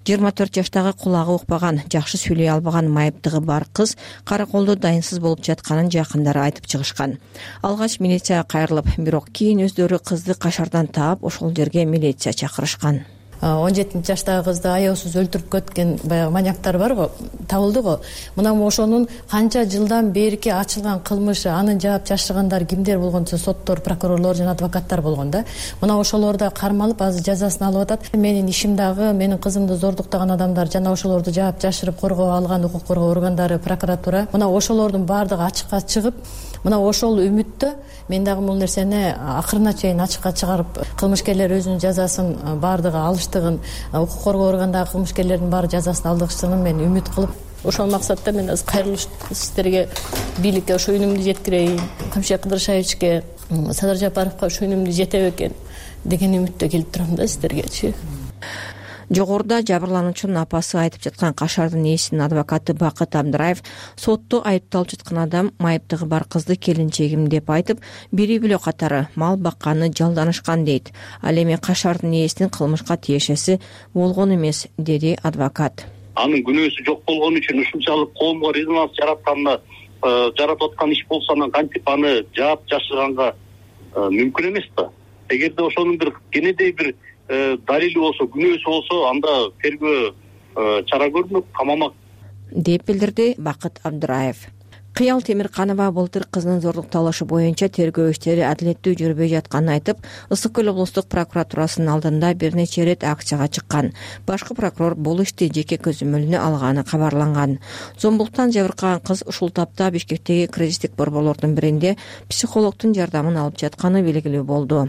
жыйырма төрт жаштагы кулагы укпаган, жакшы сүйлөй албаган майыптыгы бар кыз Караколдо дайынсыз болуп жатканын жакындары айтып чыгышкан. Алгач милицияга кайрылып, бирок кийин өздөрү кызды кашардан таап, ошол жерге милиция чакырышкан. он жетинчи жаштагы кызды аяосуз өлтүрүп кеткен баягы маньяктар барго, табылды го. Мына ошонун канча жылдан берки ачылган кылмышы, анын жаап жашыргандар кимдер болгончо соттор, прокурорлор жана адвокаттар болгон да. Мына ошолор да кармалып, азыр жазасын алып атат. Менин ишим дагы, менин кызымды зордуктаган адамдар жана ошолорду жаап жашырып коргоо алган укук коргоо органдары, прокуратура, мына ошолордун баардыгы ачыкка чыгып, мына ошол үмүттө мен дагы бул нерсени акырына чейин ачыкка чыгарып, кылмышкерлер өзүнүн жазасын баардыгы алыштыгын, укук коргоо органдагы кылмышкерлердин баары жазасын алдырышын мен үмүт кылып, ошол максатта мен азыр кайрылыш сиздерге, бийликке ошо үнүмдү жеткирейин, Камшия Кыдыршаевичке, Садыр Жапаровго ошо үнүмдү жетет экен деген үмүттө келип турам да сиздергечи. Жогоруда жабырлануучунун апасы айтып жаткан Кашардын ээсинин адвокаты Бакыт Абдыраев сотто айыпталып жаткан адам майыптыгы бар кызды келинчегим деп айтып, бири бөлө катары мал бакканы жалданышкан дейт. Ал эми Кашардын ээсинин кылмышка тиешеси болгон эмес, деди адвокат. Анын күнөөсү жок болгон үчүн ушунчалык коомго резонанс жаратканда, жаратып аткан иш болсо анан кантип аны жаап жашырганга мүмкүн эмес да. Эгерде ошонун бир кенедей бир далили болсо, күнөөсү болсо, анда тергөө чара көрүнөт, камамак, деп билдирди Бакыт Абдыраев. Кыял Темирканова былтыр кызынын зордукталышы боюнча тергөө иштери адилеттүү жүрбөй жатканын айтып, Ысык көл облустук прокуратурасынын алдында бир нече ирет акцияга чыккан. Башкы прокурор бул ишти жеке көзөмөлүнө алганы кабарланган. Зомбулуктан жабыркаган кыз ушул тапта Бишкектеги кризистик борборлордун биринде психологдун жардамын алып жатканы белгилүү болду.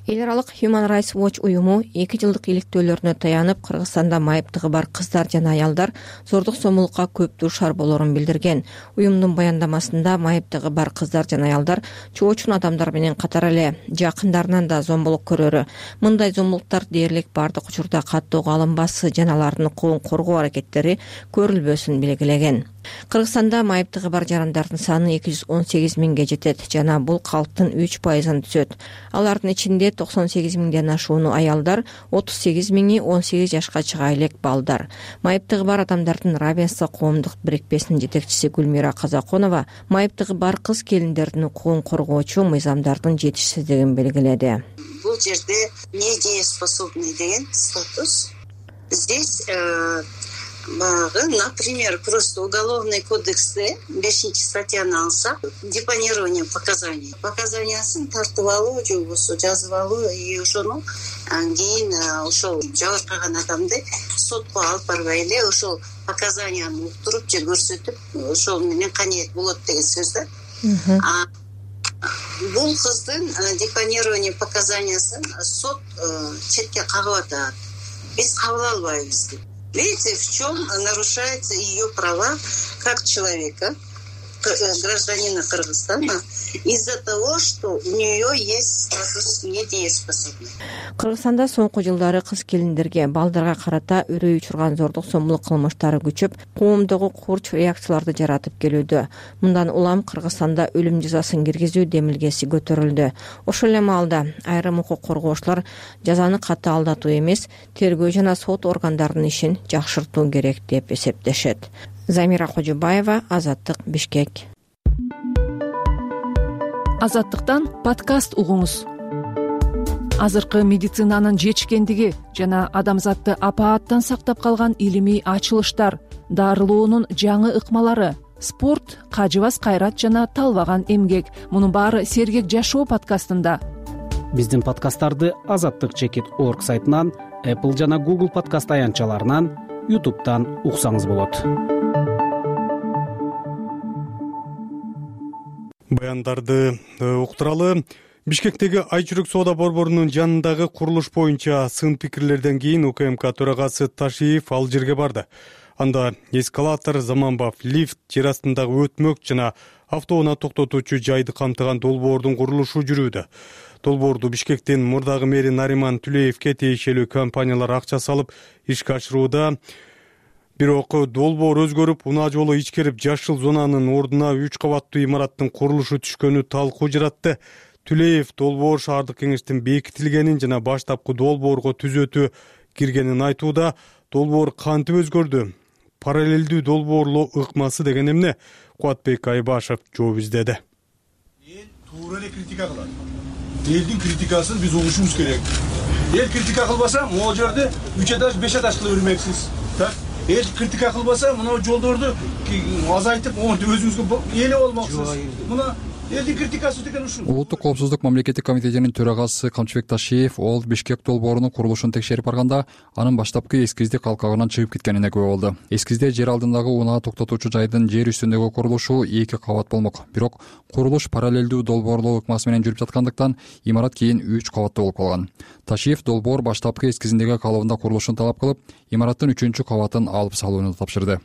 Эл аралык Human Rights Watch уюму эки жылдык иликтөөлөрүнө таянып, Кыргызстанда майыптыгы бар кыздар жана аялдар зордук зомбулукка көп дуушар болорун билдирген. Уюмдун баяндамасында майыптыгы бар кыздар жана аялдар чоочун адамдар менен катар эле жакындарынан да зомбулук көрөрү. Мындай зомбулуктар дээрлик бардык учурда каттоого алынбасы жана алардын укугун коргоо аракеттери көрүлбөсүн белгилеген. Кыргызстанда майыптыгы бар жарандардын саны эки жүз он сегиз миңге жетет жана бул калктын үч пайызын түзөт. Алардын ичинде токсон сегиз миңден ашууну аялдар, отуз сегиз миңи он сегиз жашка чыга элек балдар. Майыптыгы бар адамдардын равенство коомдук бирикпесинин жетекчиси Гүлмира Казаконова майыптыгы бар кыз келиндердин укугун коргоочу мыйзамдардын жетишсиздигин белгиледи. Бул жерде недееспособный деген статус. Здесь Багы, например, просто уголовный кодексте бешинчи статьяны алсак, депонирование показаний. Показаниясын тартып алуу, же болбосо жазып алуу, и ошону кийин ошол жабыркаган адамды сотко алып барбай эле ошол показанияны уктуруп же көрсөтүп, ошол менен каниет болот деген сөз да. Бул кыздын депонирование показаниясын сот четке кагып атат. Биз кабыл албайбыз деп. Видите, в чем нарушаются ее права как человека, гражданина Кыргызстана, из-за того, что у нее есть статус недееспособный. Кыргызстанда соңку жылдары кыз келиндерге, балдарга карата үрөй учурган зордук зомбулук кылмыштары күчөп, коомдогу курч реакцияларды жаратып келүүдө. Мындан улам Кыргызстанда өлүм жазасын киргизүү демилгеси көтөрүлдү. Ошол эле маалда айрым укук коргоочулар жазаны катаалдатуу эмес, тергөө жана сот органдарынын ишин жакшыртуу керек деп эсептешет. Замира Кожобаева, Азаттык, Бишкек. Азаттыктан подкаст угуңуз. Азыркы медицинанын жетишкендиги жана адамзатты апааттан сактап калган илимий ачылыштар, дарылоонун жаңы ыкмалары, спорт, кажыбас кайрат жана талбаган эмгек. Мунун баары Сергек жашоо подкастында. Биздин подкасттарды азаттык чекит орг сайтынан, Apple жана Google подкаст аянтчаларынан, YouTube'дан уксаңыз болот. Баяндарды уктуралы. Бишкектеги Айчүрөк соода борборунун жанындагы курулуш боюнча сын пикирлерден кийин УКМК төрагасы Ташиев ал жерге барды. Анда эскалатор, заманбап лифт, жер астындагы өтмөк жана автоунаа токтотуучу жайды камтыган долбоордун курулушу жүрүүдө. Долбоорду Бишкектин мурдагы мэри Нариман Түлеевке тиешелүү компаниялар акча салып ишке ашырууда. Бирок долбоор өзгөрүп, унаа жолу ичкерип, жашыл зонанын ордуна үч кабаттуу имараттын курулушу түшкөнү талкуу жаратты. Түлеев долбоор шаардык кеңештин бекитилгенин жана баштапкы долбоорго түзөтүү киргенин айтууда. Долбоор кантип өзгөрдү? Параллелдүү долбоорлоо ыкмасы деген эмне? Кубатбек Айбашев жооп издеди. Туура эле критика кылат. Элдин критикасын биз угушубуз керек. Эл критика кылбаса, могу жерде үч этаж, беш этаж кыла бермексиз. Так? Эл критика кылбаса, мына жолдорду азайтып, өзүбүзгө эле болмоксуз. Мына элдин критикасы деген ушул. Улуттук коопсуздук мамлекеттик комитетинин төрагасы Камчыбек Ташиев ол Бишкек долбоорунун курулушун текшерип барганда, анын баштапкы эскизди калкагынан чыгып кеткенине күбө болду. Эскизде жер алдындагы унаа токтотуучу жайдын жер үстүндөгү курулушу эки кабат болмок. Бирок курулуш параллелдүү долбоорлоо ыкмасы менен жүрүп жаткандыктан имарат кийин үч кабаттуу болуп калган. Ташиев долбоор баштапкы эскизиндеги калыбында курулушун талап кылып, имараттын үчүнчү кабатын алып салууну тапшырды.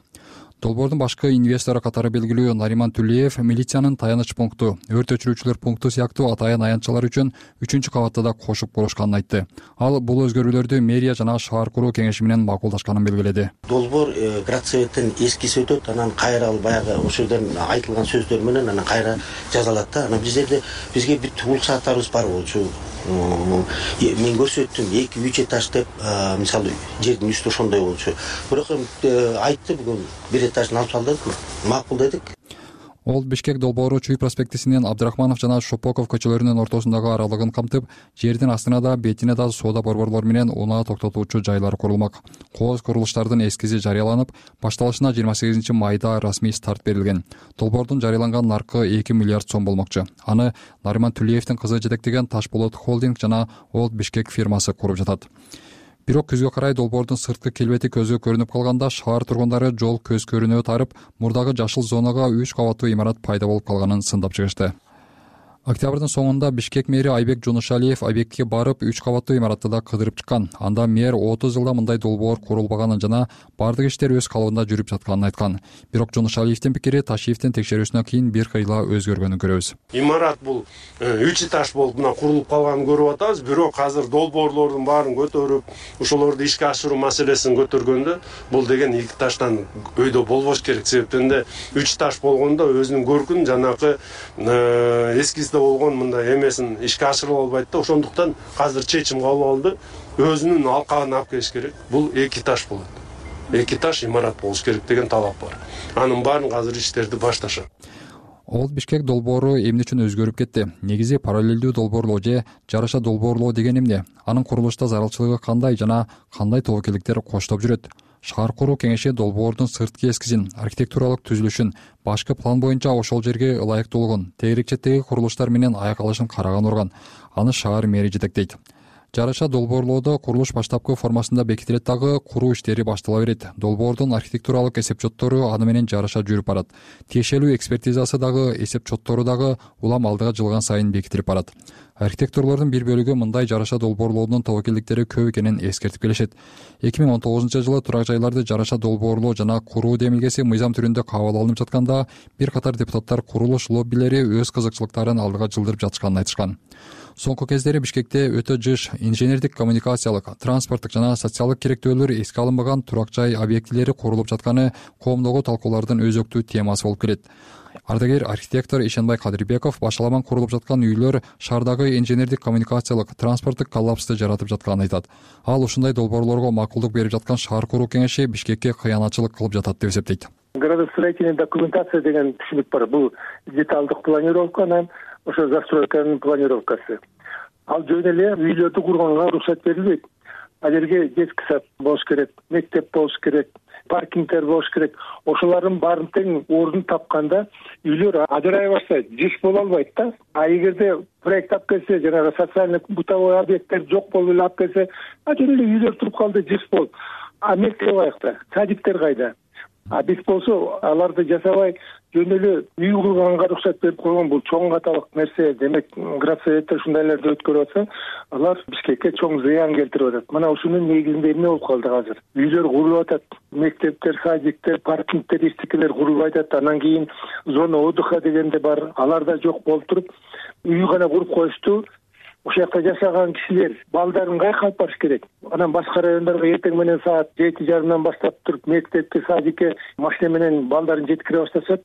Долбоордун башкы инвестору катары белгилүү Нариман Түлеев милициянын таяныч пункту, өрт өчүрүүчүлөр пункту сыяктуу атайын аянтчалар үчүн үчүнчү кабатты да кошуп курушканын айтты. Ал бул өзгөрүүлөрдү мэрия жана шаар куруу кеңеши менен макулдашканын белгиледи. Долбоор градсоветтин эскиси өтөт, анан кайра ал баягы ошол жерден айтылган сөздөр менен анан кайра жазалат да. Анан биздерде бизге бүт уруксаттарыбыз бар болчу. Мен көрсөттүм эки үч этаж деп, мисалы жердин үстү ошондой болчу. Бирок айтты бүгүн бир этажын алып салдык, макул дедик. Ол Бишкек долбоору Чүй проспектисинен Абдрахманов жана Шопоков көчөлөрүнүн ортосундагы аралыгын камтып, жердин астына да, бетине да соода борборлору менен унаа токтотуучу жайлар курулмак. Кооз курулуштардын эскизи жарыяланып, башталышына жыйырма сегизинчи майда расмий старт берилген. Долбоордун жарыяланган наркы эки миллиард сом болмокчу. Аны Нариман Түлеевдин кызы жетектеген Ташболот холдинг жана Олд Бишкек фирмасы куруп жатат. Бирок күзгө карай долбоордун сырткы келбети көзгө көрүнүп калганда, шаар тургундары жол көз көрүнөө тарып, мурдагы жашыл зонага үч кабаттуу имарат пайда болуп калганын сындап чыгышты. Октябрдын соңунда Бишкек мэри Айбек Жонушалиев объектке барып, үч кабаттуу имаратты да кыдырып чыккан. Анда мэр отуз жылда мындай долбоор курулбаганын жана бардык иштер өз калыбында жүрүп жатканын айткан. Бирок Жонушалиевдин пикири Ташиевдин текшерүүсүнөн кийин бир кыйла өзгөргөнүн көрөбүз. Имарат бул үч этаж болуп мына курулуп калганын көрүп атабыз. Бирок азыр долбоорлордун баарын көтөрүп, ошолорду ишке ашыруу маселесин көтөргөндө бул деген эки этаждан өйдө болбош керек. Себептен да үч этаж болгондо өзүнүн көркүн жанакы эскизде болгон мындай эмесин ишке ашырып албайт да. Ошондуктан азыр чечим кабыл алды. Өзүнүн алкагын алып келиш керек. Бул эки этаж болот. эки этаж имарат болуш керек деген талап бар. Анын баарын азыр иштерди башташат. Олд Бишкек долбоору эмне үчүн өзгөрүп кетти? Негизи параллелдүү долбоорлоо же жараша долбоорлоо деген эмне? Анын курулушта зарылчылыгы кандай жана кандай тобокелдиктер коштоп жүрөт? Шаар куруу кеңеши долбоордун сырткы эскизин, архитектуралык түзүлүшүн, башкы план боюнча ошол жерге ылайыктуулугун, тегерекчеттеги курулуштар менен аяк алышын караган орган. Аны шаар мэри жетектейт. Жараша долбоорлоодо курулуш баштапкы формасында бекитилет дагы, куруу иштери баштала берет. Долбоордун архитектуралык эсепчоттору аны менен жараша жүрүп барат. Тиешелүү экспертизасы дагы, эсепчоттору дагы улам алдыга жылган сайын бекитилип барат. Архитекторлордун бир бөлүгү мындай жараша долбоорлоодун тобокелдиктери көп экенин эскертип келишет. эки миң он тогузунчу жылы турак жайларды жараша долбоорлоо жана куруу демилгеси мыйзам түрүндө кабыл алынып жатканда, бир катар депутаттар курулуш лоббилери өз кызыкчылыктарын алдыга жылдырып жатышканын айтышкан. Соңку кездери Бишкекте өтө жыш инженердик, коммуникациялык, транспорттук жана социалдык керектөөлөр эске алынбаган турак жай объектилери курулуп жатканы коомдогу талкуулардын өзөктүү темасы болуп келет. Ардагер архитектор Ишенбай Кадырбеков башаламан курулуп жаткан үйлөр шаардагы инженердик, коммуникациялык, транспорттук коллапсты жаратып жатканын айтат. Ал ушундай долбоорлорго макулдук берип жаткан шаар куруу кеңеши Бишкекке кыянатчылык кылып жатат деп эсептейт. Градостроительная документация деген түшүнүк бар. Бул деталдык планировка анан ошо застройканын планировкасы. Ал жөн эле үйлөрдү курганга уруксат берилбейт. Ал жерге детский сад болуш керек, мектеп болуш керек, паркингдер болуш керек. Ошолордун баарын тең ордун тапканда үйлөр ажырай баштайт, жыш боло албайт да. А эгерде проект алып келсе, жанагы социальный бытовой объекттер жок болуп эле алып келсе, жөн эле үйлөр туруп калды, жыш болду. А мектеп аякта, садиктер кайда? А биз болсо аларды жасабай жөн эле үй курганга уруксат берип койгон, бул чоң каталык нерсе. Демек, градсоветтер ушундайларды өткөрүп атса, алар Бишкекке чоң зыян келтирип атат. Мына ушунун негизинде эмне болуп калды азыр? Үйлөр курулуп атат, мектептер, садиктер, паркингдер, эчтекелер курулуп атат. Анан кийин зона отдыха дегенде бар, алар да жок болуп туруп, үй гана куруп коюшту. Ошол жакта жашаган кишилер балдарын кайка алып барыш керек? Анан башка райондорго эртең менен саат жети жарымдан баштап туруп мектепке, садикке машина менен балдарын жеткире башташат.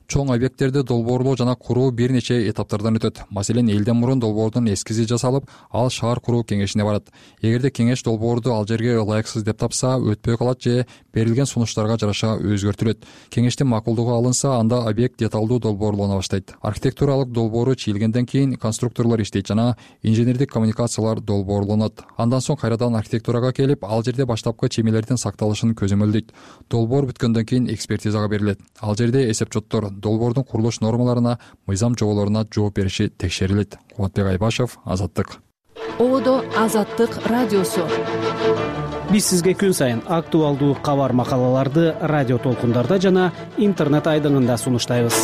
Чоң объекттерди долбоорлоо жана куруу бир нече этаптардан өтөт. Маселен, элден мурун долбоордун эскизи жасалып, ал шаар куруу кеңешине барат. Эгерде кеңеш долбоорду ал жерге ылайыксыз деп тапса, өтпөй калат же берилген сунуштарга жараша өзгөртүлөт. Кеңештин макулдугу алынса, анда объект деталдуу долбоорлоно баштайт. Архитектуралык долбоору чийилгенден кийин конструкторлор иштейт жана инженердик коммуникациялар долбоорлонот. Андан соң кайрадан архитектурага келип, ал жерде баштапкы чемелердин сакталышын көзөмөлдөйт. Долбоор бүткөндөн кийин экспертизага берилет. Ал жерде эсепчоттор долбоордун курулуш нормаларына, мыйзам жоболоруна жооп бериши текшерилет. Кубатбек Айбашев, Азаттык. Ободо Азаттык радиосу. Биз сизге күн сайын актуалдуу кабар макалаларды радио толкундарда жана интернет айдыңында сунуштайбыз.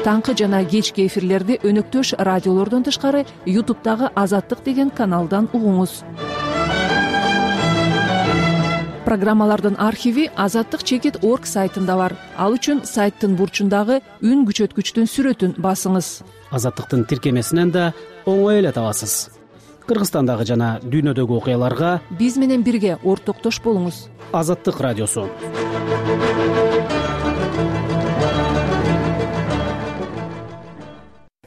Таңкы жана кечки эфирлерди өнөктөш радиолордон тышкары ютубтагы Азаттык деген каналдан угуңуз. Программалардын архиви азаттык чекит точка орг сайтында бар. Ал үчүн сайттын бурчундагы үн күчөткүчтүн сүрөтүн басыңыз. Азаттыктын тиркемесинен да оңой эле табасыз. Кыргызстандагы жана дүйнөдөгү окуяларга биз менен бирге ортоктош болуңуз. Азаттык радиосу.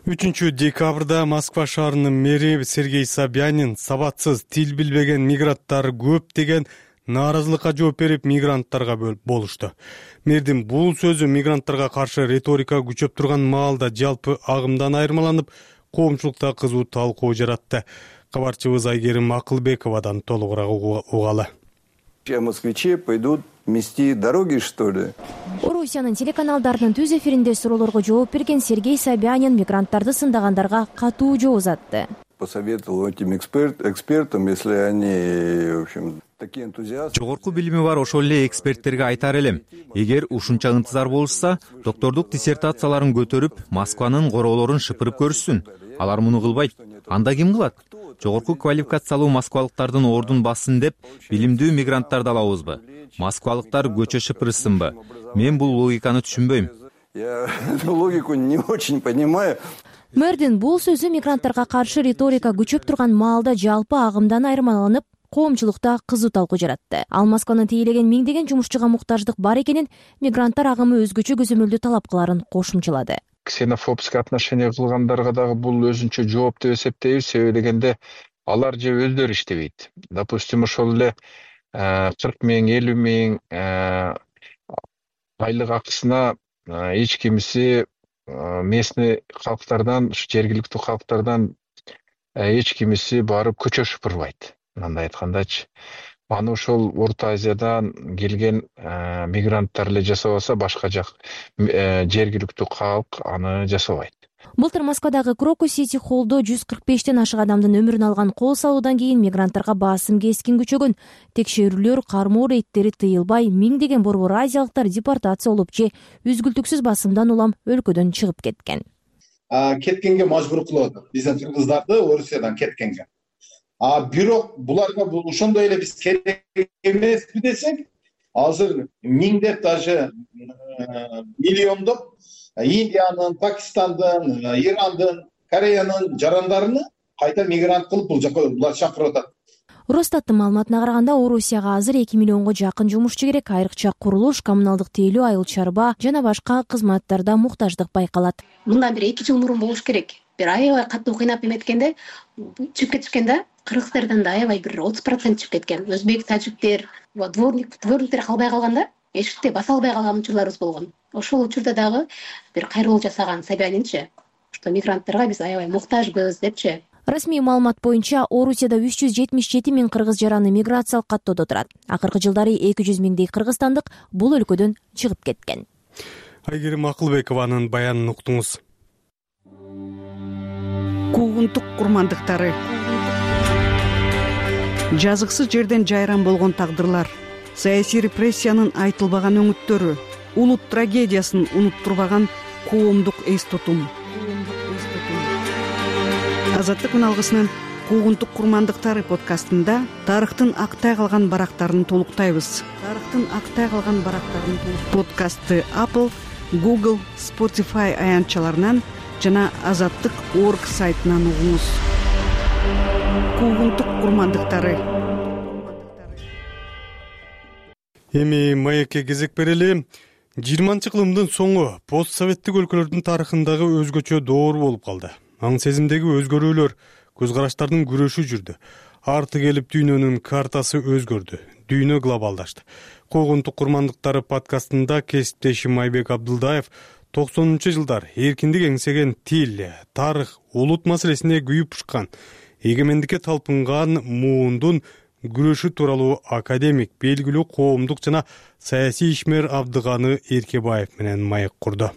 үчүнчү декабрда Москва шаарынын мэри Сергей Собянин сабатсыз, тил билбеген мигранттар көп деген нааразылыкка жооп берип, мигранттарга болушту. Мэрдин бул сөзү мигранттарга каршы риторика күчөп турган маалда жалпы агымдан айырмаланып, коомчулукта кызуу талкуу жаратты. Кабарчыбыз Айгерим Акылбековадан толугураак угалы. Москвичи пойдут мести дороги, что ли? Орусиянын телеканалдарынын түз эфиринде суроолорго жооп берген Сергей Собянин мигранттарды сындагандарга катуу жооп узатты. посоветовал этим экспертам, если они, в общем, такие энтузиасты. Жогорку билими бар ошол эле эксперттерге айтар элем, эгер ушунча ынтызар болушса, доктордук диссертацияларын көтөрүп, Москванын короолорун шыпырып көрүшсүн. Алар муну кылбайт. Анда ким кылат? Жогорку квалификациялуу москвалыктардын ордун бассын деп, билимдүү мигранттарды алабызбы? Москвалыктар көчө шыпырышсынбы? Мен бул логиканы түшүнбөйм. Я эту логику не очень понимаю. Мэрдин бул сөзү мигранттарга каршы риторика күчөп турган маалда жалпы агымдан айырмаланып, коомчулукта кызуу талкуу жаратты. Ал Москваны тейлеген миңдеген жумушчуга муктаждык бар экенин, мигранттар агымы өзгөчө көзөмөлдүү талап кыларын кошумчалады. Ксенофобский отношение кылгандарга дагы бул өзүнчө жооп деп эсептейбиз. Себеби дегенде алар же өздөрү иштебейт. Допустим, ошол эле кырк миң, элүү миң айлык акысына эч кимиси местный калктардан, жергиликтүү калктардан эч кимиси барып көчө шыпырбайт. Мындай айткандачы, аны ошол Орто Азиядан келген мигранттар эле жасабаса, башка жак жергиликтүү калк аны жасабайт. Былтыр Москвадагы Крокус Сити холлдо жүз кырк бештен ашык адамдын өмүрүн алган кол салуудан кийин мигранттарга басым кескин күчөгөн. Текшерүүлөр, кармоо рейдтери тыйылбай, миңдеген борбор азиялыктар депортация болуп же үзгүлтүксүз басымдан улам өлкөдөн чыгып кеткен. Кеткенге мажбур кылып атат. Биздин кыргыздарды Орусиядан кеткенге. А бирок буларга бул ошондой эле биз керек эмеспи десек, азыр миңдеп даже миллиондоп Индиянын, Пакистандын, Ирандын, Кореянын жарандарыны кайта мигрант кылып бул жака булар чакырып атат. Росстаттын маалыматына караганда, Орусияга азыр эки миллионго жакын жумушчу керек, айрыкча курулуш, коммуналдык тейлөө, айыл чарба жана башка кызматтарда муктаждык байкалат. Мындан бир эки жыл мурун болуш керек. Бир аябай катуу кыйнап эметкенде чыгып кетишкен да, кыргыздардан да аябай бир отуз процент чыгып кеткен. Өзбек, тажиктер, дворник, дворниктер калбай калганда, эшикте баса албай калган учурларыбыз болгон. Ошол учурда дагы бир кайрылуу жасаган Собянинчи, что мигранттарга биз аябай муктажбыз депчи. Расмий маалымат боюнча, Орусияда үч жүз жетимиш жети миң кыргыз жараны миграциялык каттоодо турат. Акыркы жылдары эки жүз миңдей кыргызстандык бул өлкөдөн чыгып кеткен. Айгерим Акылбекованын баянын уктуңуз. Куугунтук курмандыктары. Жазыксыз жерден жайран болгон тагдырлар, саясий репрессиянын айтылбаган өңүттөрү, улут трагедиясын унуттурбаган коомдук эс тутум. Азаттык үналгысынын Куугунтук курмандыктары подкастында тарыхтын актай калган барактарын толуктайбыз. Тарыхтын актай калган барактарын подкастты Apple, Google, Spotify аянтчаларынан жана азаттык точка орг сайтынан угуңуз. Куугунтук курмандыктары. Эми маекке кезек берели. жыйырманчы кылымдын соңу постсоветтик өлкөлөрдүн тарыхындагы өзгөчө доор болуп калды. Аң сезимдеги өзгөрүүлөр, көз караштардын күрөшү жүрдү. Арты келип дүйнөнүн картасы өзгөрдү. Дүйнө глобалдашты. Куугунтук курмандыктары подкастында кесиптешим Айбек Абдылдаев токсонунчу жылдар эркиндик эңсеген тил, тарых, улут маселесине күйүп ушкан, эгемендикке талпынган муундун күрөшү тууралуу академик, белгилүү коомдук жана саясий ишмер Абдыганы Эркебаев менен маек курду.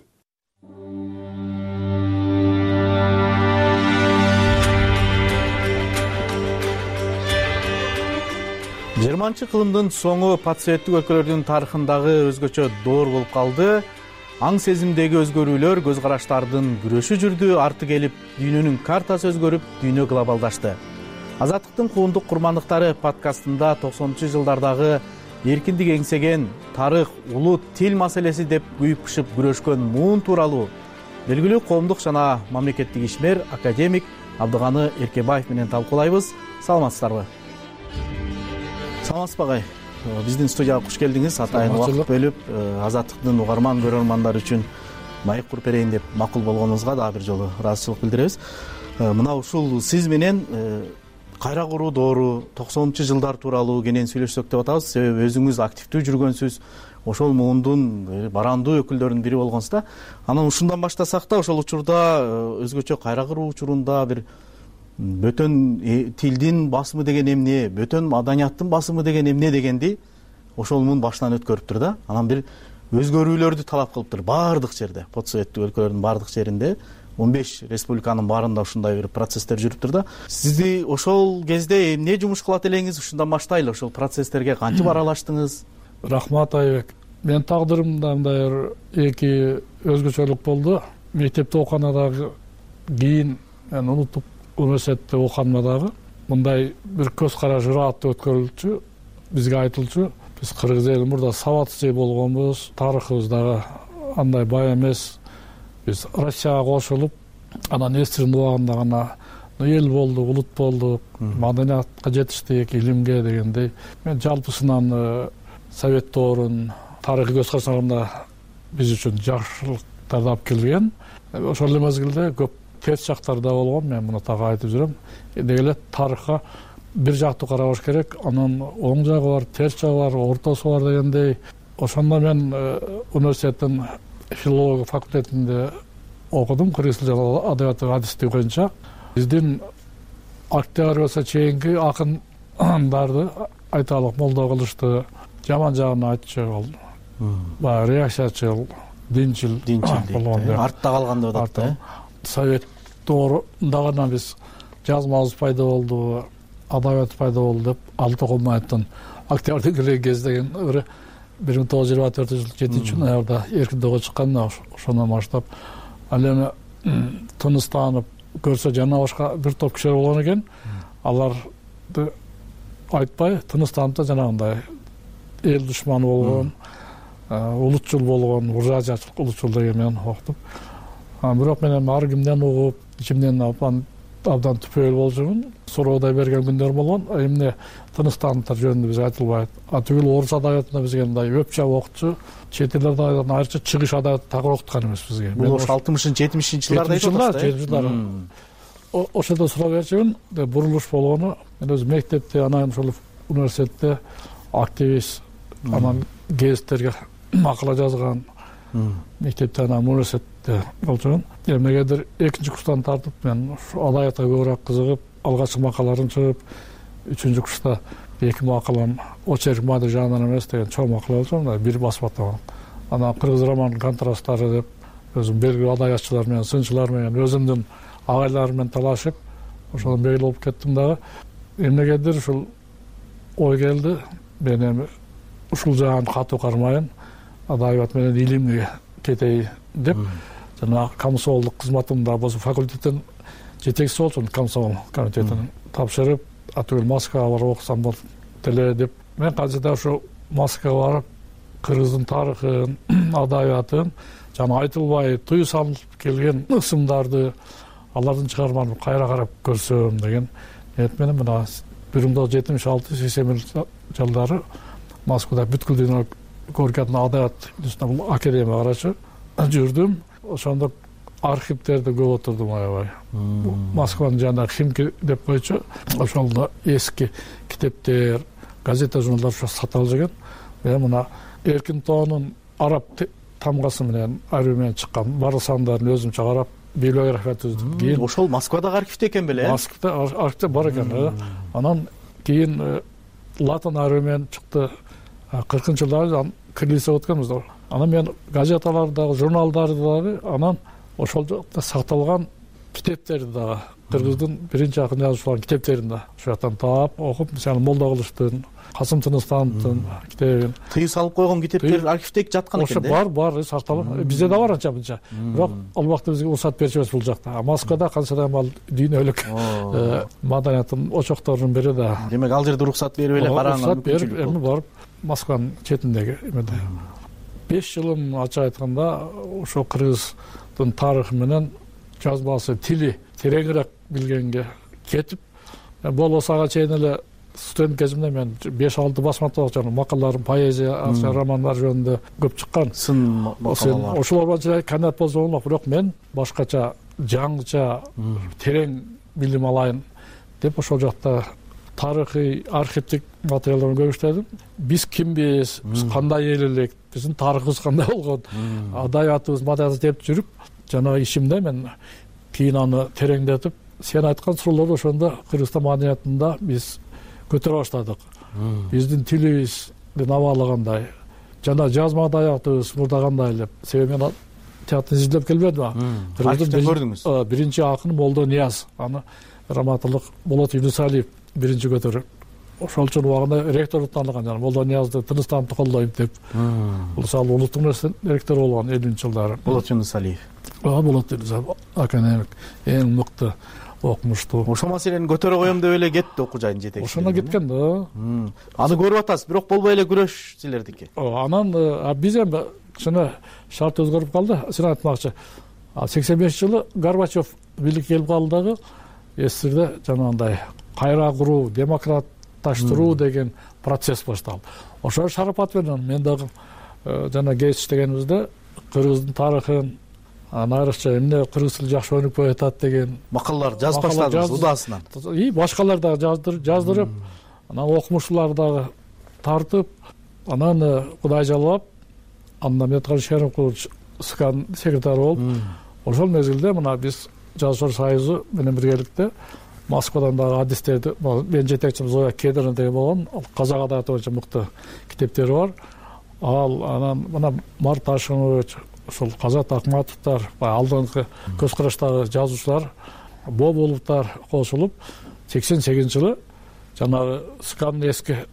жыйырманчы кылымдын соңу постсоветтик өлкөлөрдүн тарыхындагы өзгөчө доор болуп калды. Аң сезимдеги өзгөрүүлөр, көз караштардын күрөшү жүрдү. Арты келип дүйнөнүн картасы өзгөрүп, дүйнө глобалдашты. Азаттыктын куугунтук курмандыктары подкастында токсонунчу жылдардагы эркиндик эңсеген тарых, улут, тил маселеси деп күйүп-пышып күрөшкөн муун тууралуу белгилүү коомдук жана мамлекеттик ишмер академик Абдыганы Эркебаев менен талкуулайбыз. Саламатсыздарбы? Саламатсызбы агай? Биздин студияга куш келдиңиз. Атайын убакыт бөлүп, Азаттыктын угарман көрөрмандар үчүн маек куруп берейин деп макул болгонуңузга дагы бир жолу ыраазычылык билдиребиз. Мына ушул сиз менен кайра куруу доору, токсонунчу жылдар тууралуу кенен сүйлөшсөк деп атабыз. Себеби өзүңүз активдүү жүргөнсүз, ошол муундун барандуу өкүлдөрүнүн бири болгонсуз да. Анан ушундан баштасак да, ошол учурда өзгөчө кайра куруу учурунда бир бөтөн тилдин басымы деген эмне, бөтөн маданияттын басымы деген эмне дегенди ошол муун башынан өткөрүптүр да. Анан бир өзгөрүүлөрдү талап кылыптыр баардык жерде, постсоветтик өлкөлөрдүн баардык жеринде он беш республиканын баарында ушундай бир процесстер жүрүптүр да. Сизди ошол кезде эмне жумуш кылат элеңиз? Ушундан баштайлы. Ошол процесстерге кантип аралаштыңыз? Рахмат Айбек. Мен тагдырымда мындай эки өзгөчөлүк болду. Мектепте окуганда дагы, кийин мен улуттук университетте окуганда дагы мындай бир көз караш ырааттуу өткөрүлчү. Бизге айтылчу, биз кыргыз эли мурда сабатсыз эл болгонбуз, тарыхыбыз дагы андай бай эмес. Биз Россияга кошулуп, анан эстирин убагында гана эл болдук, улут болдук, маданиятка жетиштик, илимге дегендей. Мен жалпысынан советтоорун тарыхый көз карашында биз үчүн жакшылыктарды алып келген. Ошол эле мезгилде көп терс жактар да болгон. Мен муну так айтып жүрөм. Деги эле тарыхка бир жактуу карабаш керек. Анын оң жагы бар, терс жагы бар, ортосу бар дегендей. Ошондо мен университеттин филология факультетинде окудум, кыргыз тили жана адабияты адистиги боюнча. Биздин октябрга чейинки акындарды айталык молдо кылышты, жаман жагын айтчу, баягы реакциячыл, динчил болгон. Артта калган деп атат да. Совет доорунда гана биз жазмабыз пайда болду, адабият пайда болду деп алты окумайттын октябрдын келген кездеген бир миң тогуз жүз жыйырма төртүнчү жыл жетинчи ноябрда эркин доого чыккан. Ошондон баштап ал эми тыныстанып көрсө жана башка бир топ кишилер болгон экен. Аларды айтпай тыныстанып да жанагындай эл душманы болгон, улутчул болгон, буржуазиячыл улутчул деген менен окутуп. Бирок мен эми ар кимден угуп, ичимден абдан түпөйүл болчумун. Суроодай берген күндөр болгон. Эмне тыныстаныптар жөнүндө биз айтылбайт. А түгүл орус адабиятында бизге мындай өпчө окутчу, чет элдерден айрыкча чыгыш адабият так окуткан эмес бизге. Бул ошо алтымышынчы жетимишинчи жылдарда айтып атасыз. жетимишинчи жылдары. Ошондо суроо берчүмүн, бурулуш болгону. Мен өзүм мектепте, анан ошол университетте активист, анан гезиттерге макала жазган. Мектепте, анан университетте болчумун. Эмнегедир экинчи курстан тартып мен адабиятка көбүрөөк кызыгып, алгачкы макалаларын чыгып, үчүнчү курста эки макалам очерк мады жагынан эмес деген чоң макала болчу, бир басмада. Анан кыргыз романынын контрасттары деп өзүм белгилүү адабиятчылар менен, сынчылар менен, өзүмдүн агайларым менен талашып, ошондон белгилүү болуп кеттим дагы. Эмнегедир ушул ой келди, мен эми ушул жагын катуу кармайын, адабият менен илимге кетейин деп, жана комсомолдук кызматымда болсо факультеттин жетекчиси болчумун, комсомол комитетинин тапшырып, атүгүл Москвага барып окусам болот деле деп. Мен кантсе ушу Москвага барып, кыргыздын тарыхын, адабиятын, жана айтылбай тыюу салынып келген ысымдарды, алардын чыгармаларын кайра карап көрсөм деген ниет менен мына бир миң тогуз жүз жетимиш алты сексен биринчи жылдары Москвада бүткүл дүйнө көркөм адабият академия карачы жүрдүм. Ошондо архивдерде көп отурдум аябай. Москванын жанагы Химки деп койчу. Ошондо эски китептер, газета, журналдар сатылып жүргөн. Мен мына Эркин тоонун араб тамгасы менен архив менен чыккан баардык сандарын өзүмчө карап, библиография түздүм. Кийин ошол Москвадагы архивде экен беле? Москвада архивде бар экен. Анан кийин латын архиви менен чыкты. кыркынчы жылдары кириллица өткөнбүз. Анан мен газеталардагы, журналдарды дагы, анан ошол жакта сакталган китептерди дагы, кыргыздын биринчи акын жазуучуларынын китептерин да ошол жактан таап, окуп, мисалы Молдо Кылычтын, Касым Тыныстановдун китебин. Тыюу салып койгон китептер архивде жаткан экен да. Ошо бар, бар, сакталып. Бизде да бар анча мынча. Бирок ал убакта бизге уруксат берчү эмес бул жакта. А Москвада кансадан ал дүйнөлүк маданияттын очокторунун бири да. Демек ал жерде уруксат берип эле карааңар мүмкүнчүлүк болду. Эми барып Москванын четиндеги эмеде беш жылым ачык айтканда ошо кыргыздын тарыхы менен жазбасы, тили тереңирээк билгенге кетип, болбосо ага чейин эле студент кезимде мен беш алты басмада окуган макалаларым, поэзия, романдар жөнүндө көп чыккан. Сын макалалар. Ошолор боюнча кандидат болсом болмок, бирок мен башкача, жаңыча, терең билим алайын деп ошол жакта тарыхый, архивдик материалдарды көп иштедим. Биз кимбиз, биз кандай эл элек, биздин тарыхыбыз кандай болгон, адабиятыбыз, маданиятыбыз деп жүрүп, жана ишимде мен кийин аны тереңдетип, сен айткан суроолорду ошондо Кыргызстан маданиятында биз көтөрө баштадык. Биздин тилибиздин абалы кандай, жана жазма адабиятыбыз мурда кандай эле. Себеби мен тияктан изилдеп келбедиби? Архивден көрдүңүз? Биринчи акын Молдо Нияз, аны раматылык Болот Юнусалиев биринчи көтөрүп, ошол үчүн убагында ректор тааныган, жана Молдо Ниязды тынычтанып колдойм деп. Мисалы улуттук университеттин ректору болгон элүүнчү жылдары. Болот Юнусалиев. Ооба, Болот Юнусалиев академик, эң мыкты, окумуштуу. Ошол маселени көтөрө коем деп эле кетти окуу жайдын жетекчиси. Ошондо кеткен да. Аны көрүп атасыз, бирок болбой эле күрөш силердики. Анан биз эми кичине шарт өзгөрүп калды. Сен айтмакчы, сексен бешинчи жылы Горбачев бийликке келип калды дагы, СССРде жанагындай кайра куруу, демократташтыруу деген процесс башталды. Ошол шарапат менен мен дагы жана кез иштегенибизде кыргыздын тарыхын, айрыкча эмне кыргыз тили жакшы өнүкпөй атат деген макалалар жазып баштадыңыз удаасынан. И башкалар дагы жаздырып, анан окумуштуулар дагы тартып, анан Кудай жалап, анда Медкан Шерикович СКАнын секретары болуп, ошол мезгилде мына биз Жазушылар союзу менен биргеликте Москвадан дагы адистерди, мен жетекчим Зоя Кедрина деген болгон, казак адабияты боюнча мыкты китептери бар. Ал анан мына Март Ташкынович, ошол Казат Акматовдор, алдыңкы көз караштагы жазуучулар, Бобуловдор кошулуп, сексен сегизинчи жылы жанагы СКАнын эски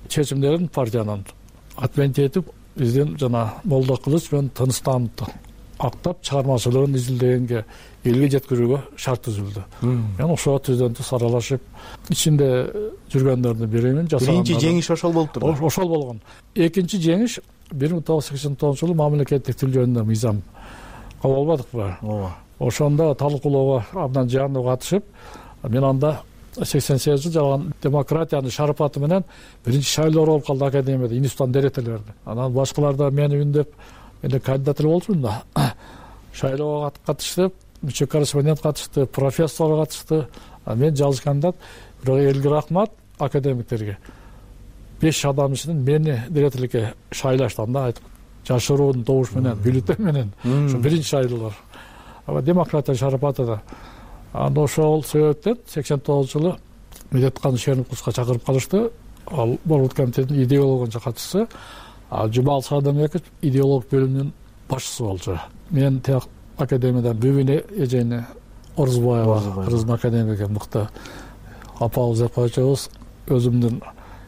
чечимдерин партиянын отмена этип, биздин жана Молдо Кылыч менен Тынычтановду актап чыгармачылыгын изилдегенге, элге жеткирүүгө шарт түзүлдү. Мен ошого түздөнтү саралашып, ичинде жүргөндөрдүн биримин жасаган. Биринчи жеңиш ошол болуптур. Ошол болгон. Экинчи жеңиш бир миң тогуз жүз сексен тогузунчу жылы мамлекеттик тил жөнүндө мыйзам кабыл албадыкпы? Ооба. Ошондо талкуулоого абдан жаандуу катышып, мен анда сексен сегизинчи жылы жалган демократиянын шарапаты менен биринчи шайлоо болуп калды академияда, институттан директорлорду. Анан башкалар да мени үндеп, мен кандидат болчумун да. Шайлоого катыштып, мүчө корреспондент катышты, профессор катышты. Мен жалгыз кандидат, бирок элге рахмат академиктерге. беш адам ичинен мени директорлукка шайлашты, анда айтып, жашыруунун добуш менен, бюллетень менен, ошо биринчи шайлоолор. Аба демократия шарапаты да. Анда ошол себептен сексен тогузунчу жылы Медеткан Шериковичке чакырып калышты. Ал Борбордук комитеттин идеология катчысы, ал Жумал Садамбеков идеолог бөлүмүнүн башчысы болчу. Мен тияк академиядан Бүбүнө эжени Орузбаева, кыргыздын академиги мыкты апабыз эпачыбыз, өзүмдүн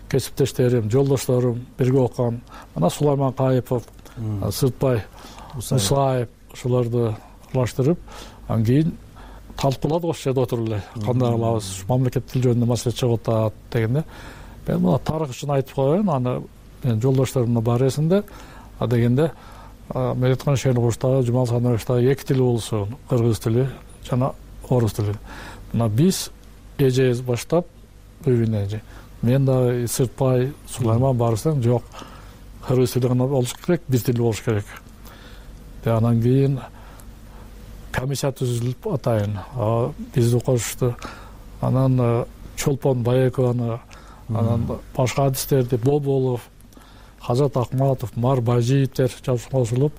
кесиптештерим, жолдошторум, бирге окуган, мына Сулайман Кайыпов, Сыртбай Мусаев, ошолорду аралаштырып, анан кийин талкууладык ошол жерде отуруп эле. Кандай кылабыз, мамлекеттик тил жөнүндө маселе чыгып атат дегенде, мен мына тарых үчүн айтып коеюн, аны мен жолдошторумдун бар эсинде, а дегенде Медеткан Шериковичтагы, Жумал Садамбековдагы эки тил болсун, кыргыз тили жана орус тили. Мына биз эжебиз баштап, Бүбүнө эже, мен дагы Сыртбай, Сулайман барсаң, жок, кыргыз тили гана болуш керек, бир тил болуш керек. Анан кийин комиссия түзүлүп атайын, бизди кошушту. Анан Чолпон Байекованы, анан башка адистерди, Боболов, Казат Акматов, Мар Бажиевдер кошулуп,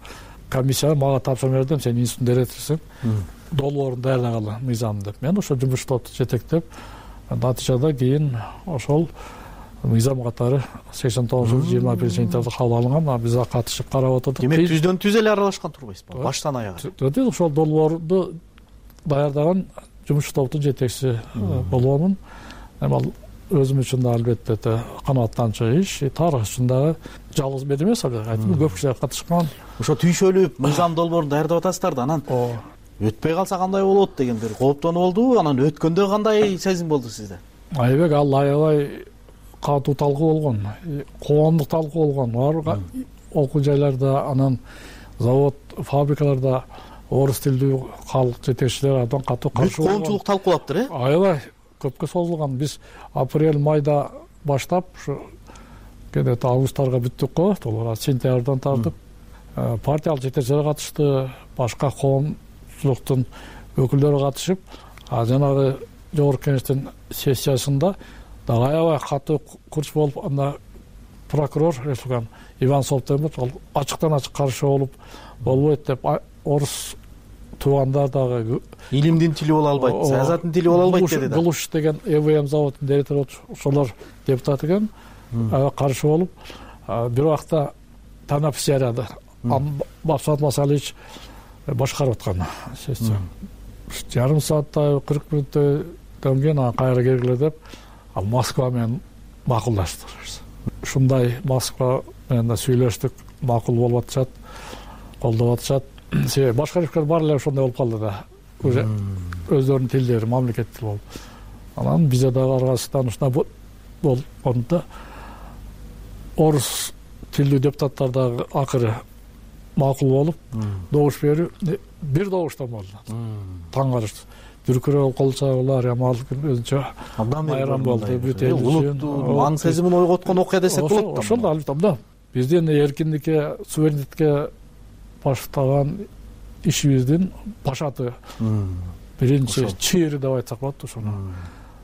комиссия мага тапшырма бердим, сен институттун директорусуң, долбоорун даярдагыла мыйзам деп. Мен ошол жумуш топту жетектеп, натыйжада кийин ошол мыйзам катары сексен тогузунчу жылы жыйырма биринчи сентябрда кабыл алынган, биз ага катышып карап отурдук. Демек түздөн түз эле аралашкан турбайсызбы? Баштан аягына. Ошол долбоорду даярдаган жумуш топтун жетекчиси болгонмун. Эми ал өзүм үчүн да албетте канааттанчу иш, тарых үчүн дагы жалгыз мен эмес, айтып көп кишилер катышкан. Ошо түйшөлүп мыйзам долбоорун даярдап атасыздар да, анан өтпөй калса кандай болот деген бир кооптонуу болдубу? Анан өткөндө кандай сезим болду сизде? Айбек, ал аябай катуу талкуу болгон, коомдук талкуу болгон. Ар окуу жайларда, анан завод, фабрикаларда орус тилдүү калк жетекчилери абдан катуу каршы болгон. Коомчулук талкуулаптыр, э? Аябай көпкө созулган. Биз апрель майда баштап, ушу кенет августтарга бүттүк го, толук сентябрдан тартып партиялык жетекчилер катышты, башка коомчулуктун өкүлдөрү катышып, жанагы жогорку кеңештин сессиясында дагы аябай катуу курч болуп, анда прокурор республиканын Иван Солтемов ал ачыктан ачык каршы болуп, болбойт деп, орус туугандар дагы илимдин тили боло албайт, саясаттын тили боло албайт деди да. Гулуш деген ЭВМ заводунун директору, ошолор депутат экен, каршы болуп, бир убакта Танап Серияда Бапсат Масалич башкарып аткан сессия жарым сааттай кырк мүнөттөн кийин анан кайра келгиле деп ал Москва менен макулдаштык. Ушундай Москва менен да сүйлөштүк, макул болуп атышат, колдоп атышат. Себеби башка өлкөлөр баары эле ошондой болуп калды да. Уже өздөрүнүн тилдери мамлекет тили болуп. Анан бизде дагы Кыргызстан ушундай болгондо да орус тилдүү депутаттар дагы акыры макул болуп добуш берүү бир добуштан болду. Таң калыштуу. Дүркүрөө колчагылар ямал өзүнчө абдан майрам болду. Улуттуу аң сезимин ойготкон окуя десек болот да. Ошол да албетте абдан. Биздин эркиндикке, суверенитетке баштаган ишибиздин башаты биринчи чыйыры деп айтсак болот ошону.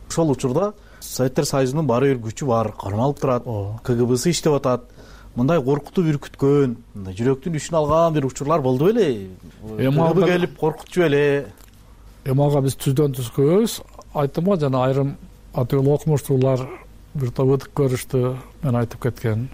Ошол учурда Советтер Союзунун баары бир күчү бар, кармалып турат, КГБсы иштеп атат. Мындай коркутуп үркүткөн, мындай жүрөктүн ишин алган бир учурлар болду беле? КГБ келип коркутчу беле? Эми ага биз түздөн түз көбүз. Айттым го жана айрым атыыл окумуштуулар бир топ өтүк көрүштү. Мен айтып кеткен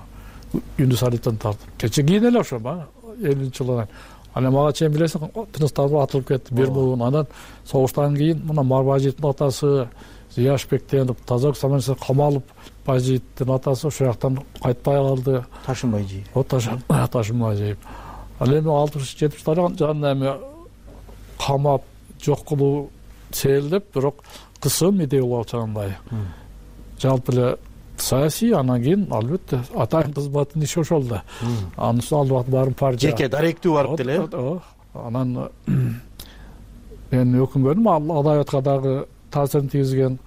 Юнус Алиевден тартып. Кече кийин эле ошо ба элүүнчү жылдан. Анан мага чейин билесиң, тыныстарып атылып кетти бир буун. Анан согуштан кийин мына Марбажиевдин атасы Зияшбектен тазак саманчы камалып, Бажиевдин атасы ошол жактан кайтпай калды. Ташынбайжиев. О Ташынбайжиев. Ал эми алтымыш жетимиштардын жанына эми камап жок кылуу сейилдеп, бирок кысым идея болуп чагындай. Жалпы эле саясий, анан кийин албетте атайын кызматтын иши ошол да. Анын үстүнө албат баарын партия. Жеке даректүү барып деле. Анан мен өкүнбөдүм, ал адабиятка дагы таасирин тийгизген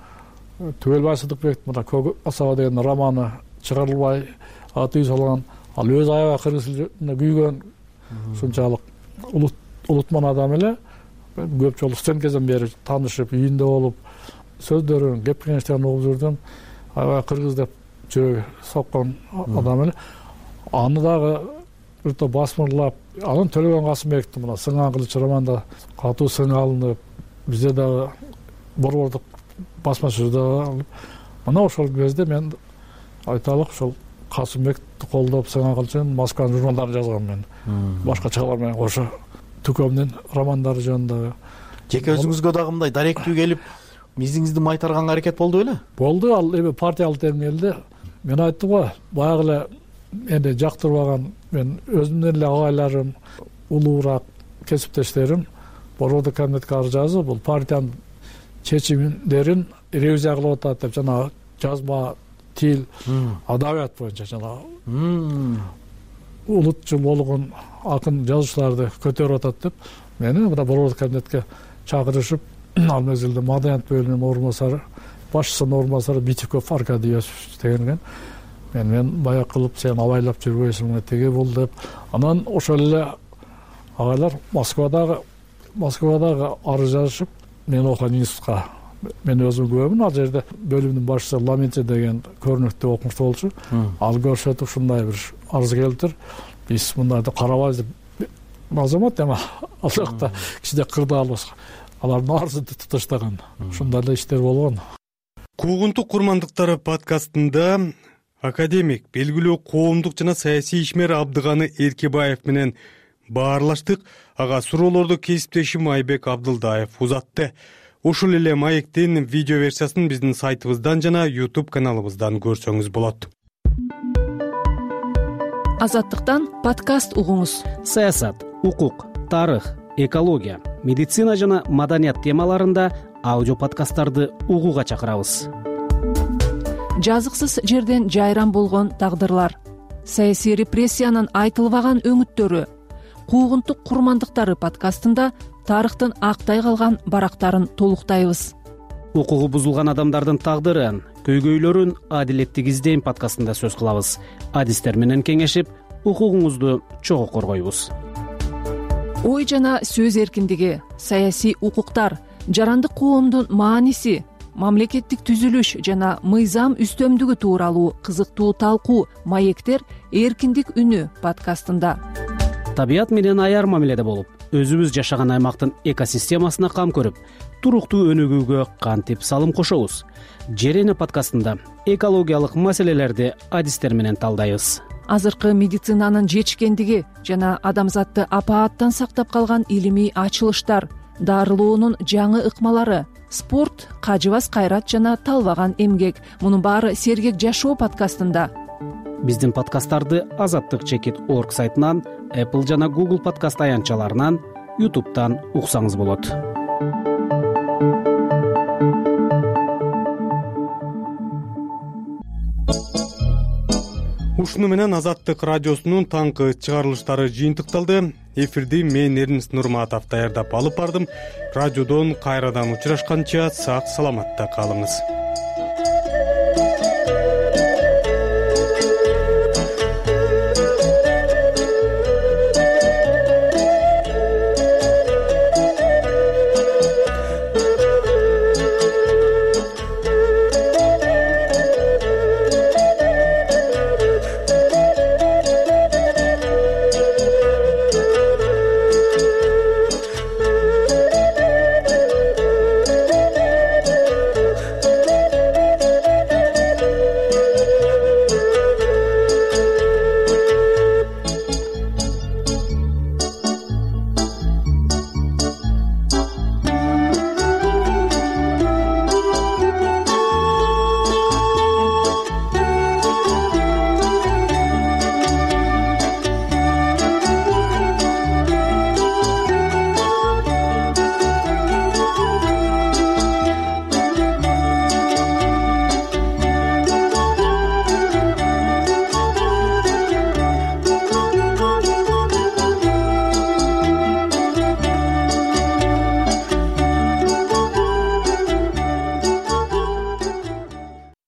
Түгелбай Сыдыкбек мына Көк асаба деген романы чыгарылбай аты салган, ал өз аябай кыргыз тилине күйгөн ушунчалык улутман адам эле. Көп жолу студент кезден бери таанышып, үйүндө болуп, сөздөрүн, кеп кеңештерин угуп жүрдүм. Аябай кыргыз деп жүрөгү соккон адам эле. Аны дагы бир топ басмырлап, анан Төлөгөн Касымбековдун мына Сыңган кылыч романда катуу сың алынып, бизде дагы борбордук басмачылыкта алып, мына ошол кезде мен айталык ошол Касымбекти колдоп Сыңган кылычын Москванын журналдарын жазгам мен. Башкачалар менен кошо Түкөмдүн романдары жөнүндө. Жеке өзүңүзгө дагы мындай даректүү келип, мизиңизди майтарганга аракет болду беле? Болду, ал эми партиялык терминде мен айттым го, баягы эле мени жактырбаган мен өзүмдүн эле агайларым, улуураак кесиптештерим борбордук комитетке арыз жазып, бул партиянын чечимдерин ревизия кылып атат деп, жана жазма, тил, адабият боюнча жана улутчул болгон акын жазуучуларды көтөрүп атат деп мени мына борбордук комитетке чакырышып, ал мезгилде маданият бөлүмүнүн орун басары, башчысынын орун басары Битиков Аркадий Иосифович деген мен мен баяк кылып сен абайлап жүрбөйсүң теге бул деп. Анан ошол эле агайлар Москвадагы Москвадагы арыз жазышып, мен окуган институтка мен өзүм күбөмүн. Ал жерде бөлүмдүн башчысы Ламенти деген көрүнүктүү окумуштуу болчу. Ал көрсөтүп ушундай бир арыз келиптир. Биз мындайды карабайбыз деп азамат эми ал жакта кичине кырдаал башка. Алардын арызын туташтаган. Ушундай эле иштер болгон. Куугунтук курмандыктары подкастында академик, белгилүү коомдук жана саясий ишмер Абдыганы Эркебаев менен баарлаштык. Ага суроолорду кесиптешим Айбек Абдылдаев узатты. Ушул эле маектин видео версиясын биздин сайтыбыздан жана YouTube каналыбыздан көрсөңүз болот. Азаттыктан подкаст угуңуз. Саясат, укук, тарых, экология, медицина жана маданият темаларында аудио подкасттарды угууга чакырабыз. Жазыксыз жерден жайран болгон тагдырлар, саясий репрессиянын айтылбаган өңүттөрү, куугунтук курмандыктары подкастында тарыхтын актай калган барактарын толуктайбыз. Укугу бузулган адамдардын тагдырын, көйгөйлөрүн адилеттик издейм подкастында сөз кылабыз. Адистер менен кеңешип, укугуңузду чогуу коргойбуз. Ой жана сөз эркиндиги, саясий укуктар, жарандык коомдун мааниси, мамлекеттик түзүлүш жана мыйзам үстөмдүгү тууралуу кызыктуу талкуу маектер эркиндик үнү подкастында. Табият менен аяр мамиледе болуп, өзүбүз жашаган аймактын экосистемасына кам көрүп, туруктуу өнүгүүгө кантип салым кошобуз? Жерене подкастында экологиялык маселелерди адистер менен талдайбыз. азыркы медицинанын жетишкендиги жана адамзатты апааттан сактап калган илимий ачылыштар, дарылоонун жаңы ыкмалары, спорт, кажыбас кайрат жана талбаган эмгек — мунун баары Сергек жашоо подкастында. Биздин подкасттарды азаттык чекит орг сайтынан, Apple жана Google подкаст аянтчаларынан, YouTube'тан уксаңыз болот. Ушуну менен Азаттык радиосунун таңкы чыгарылыштары жыйынтыкталды. Эфирди мен Эрнис Нурматов даярдап алып бардым. Радиодон кайрадан учурашканча сак саламатта калыңыз.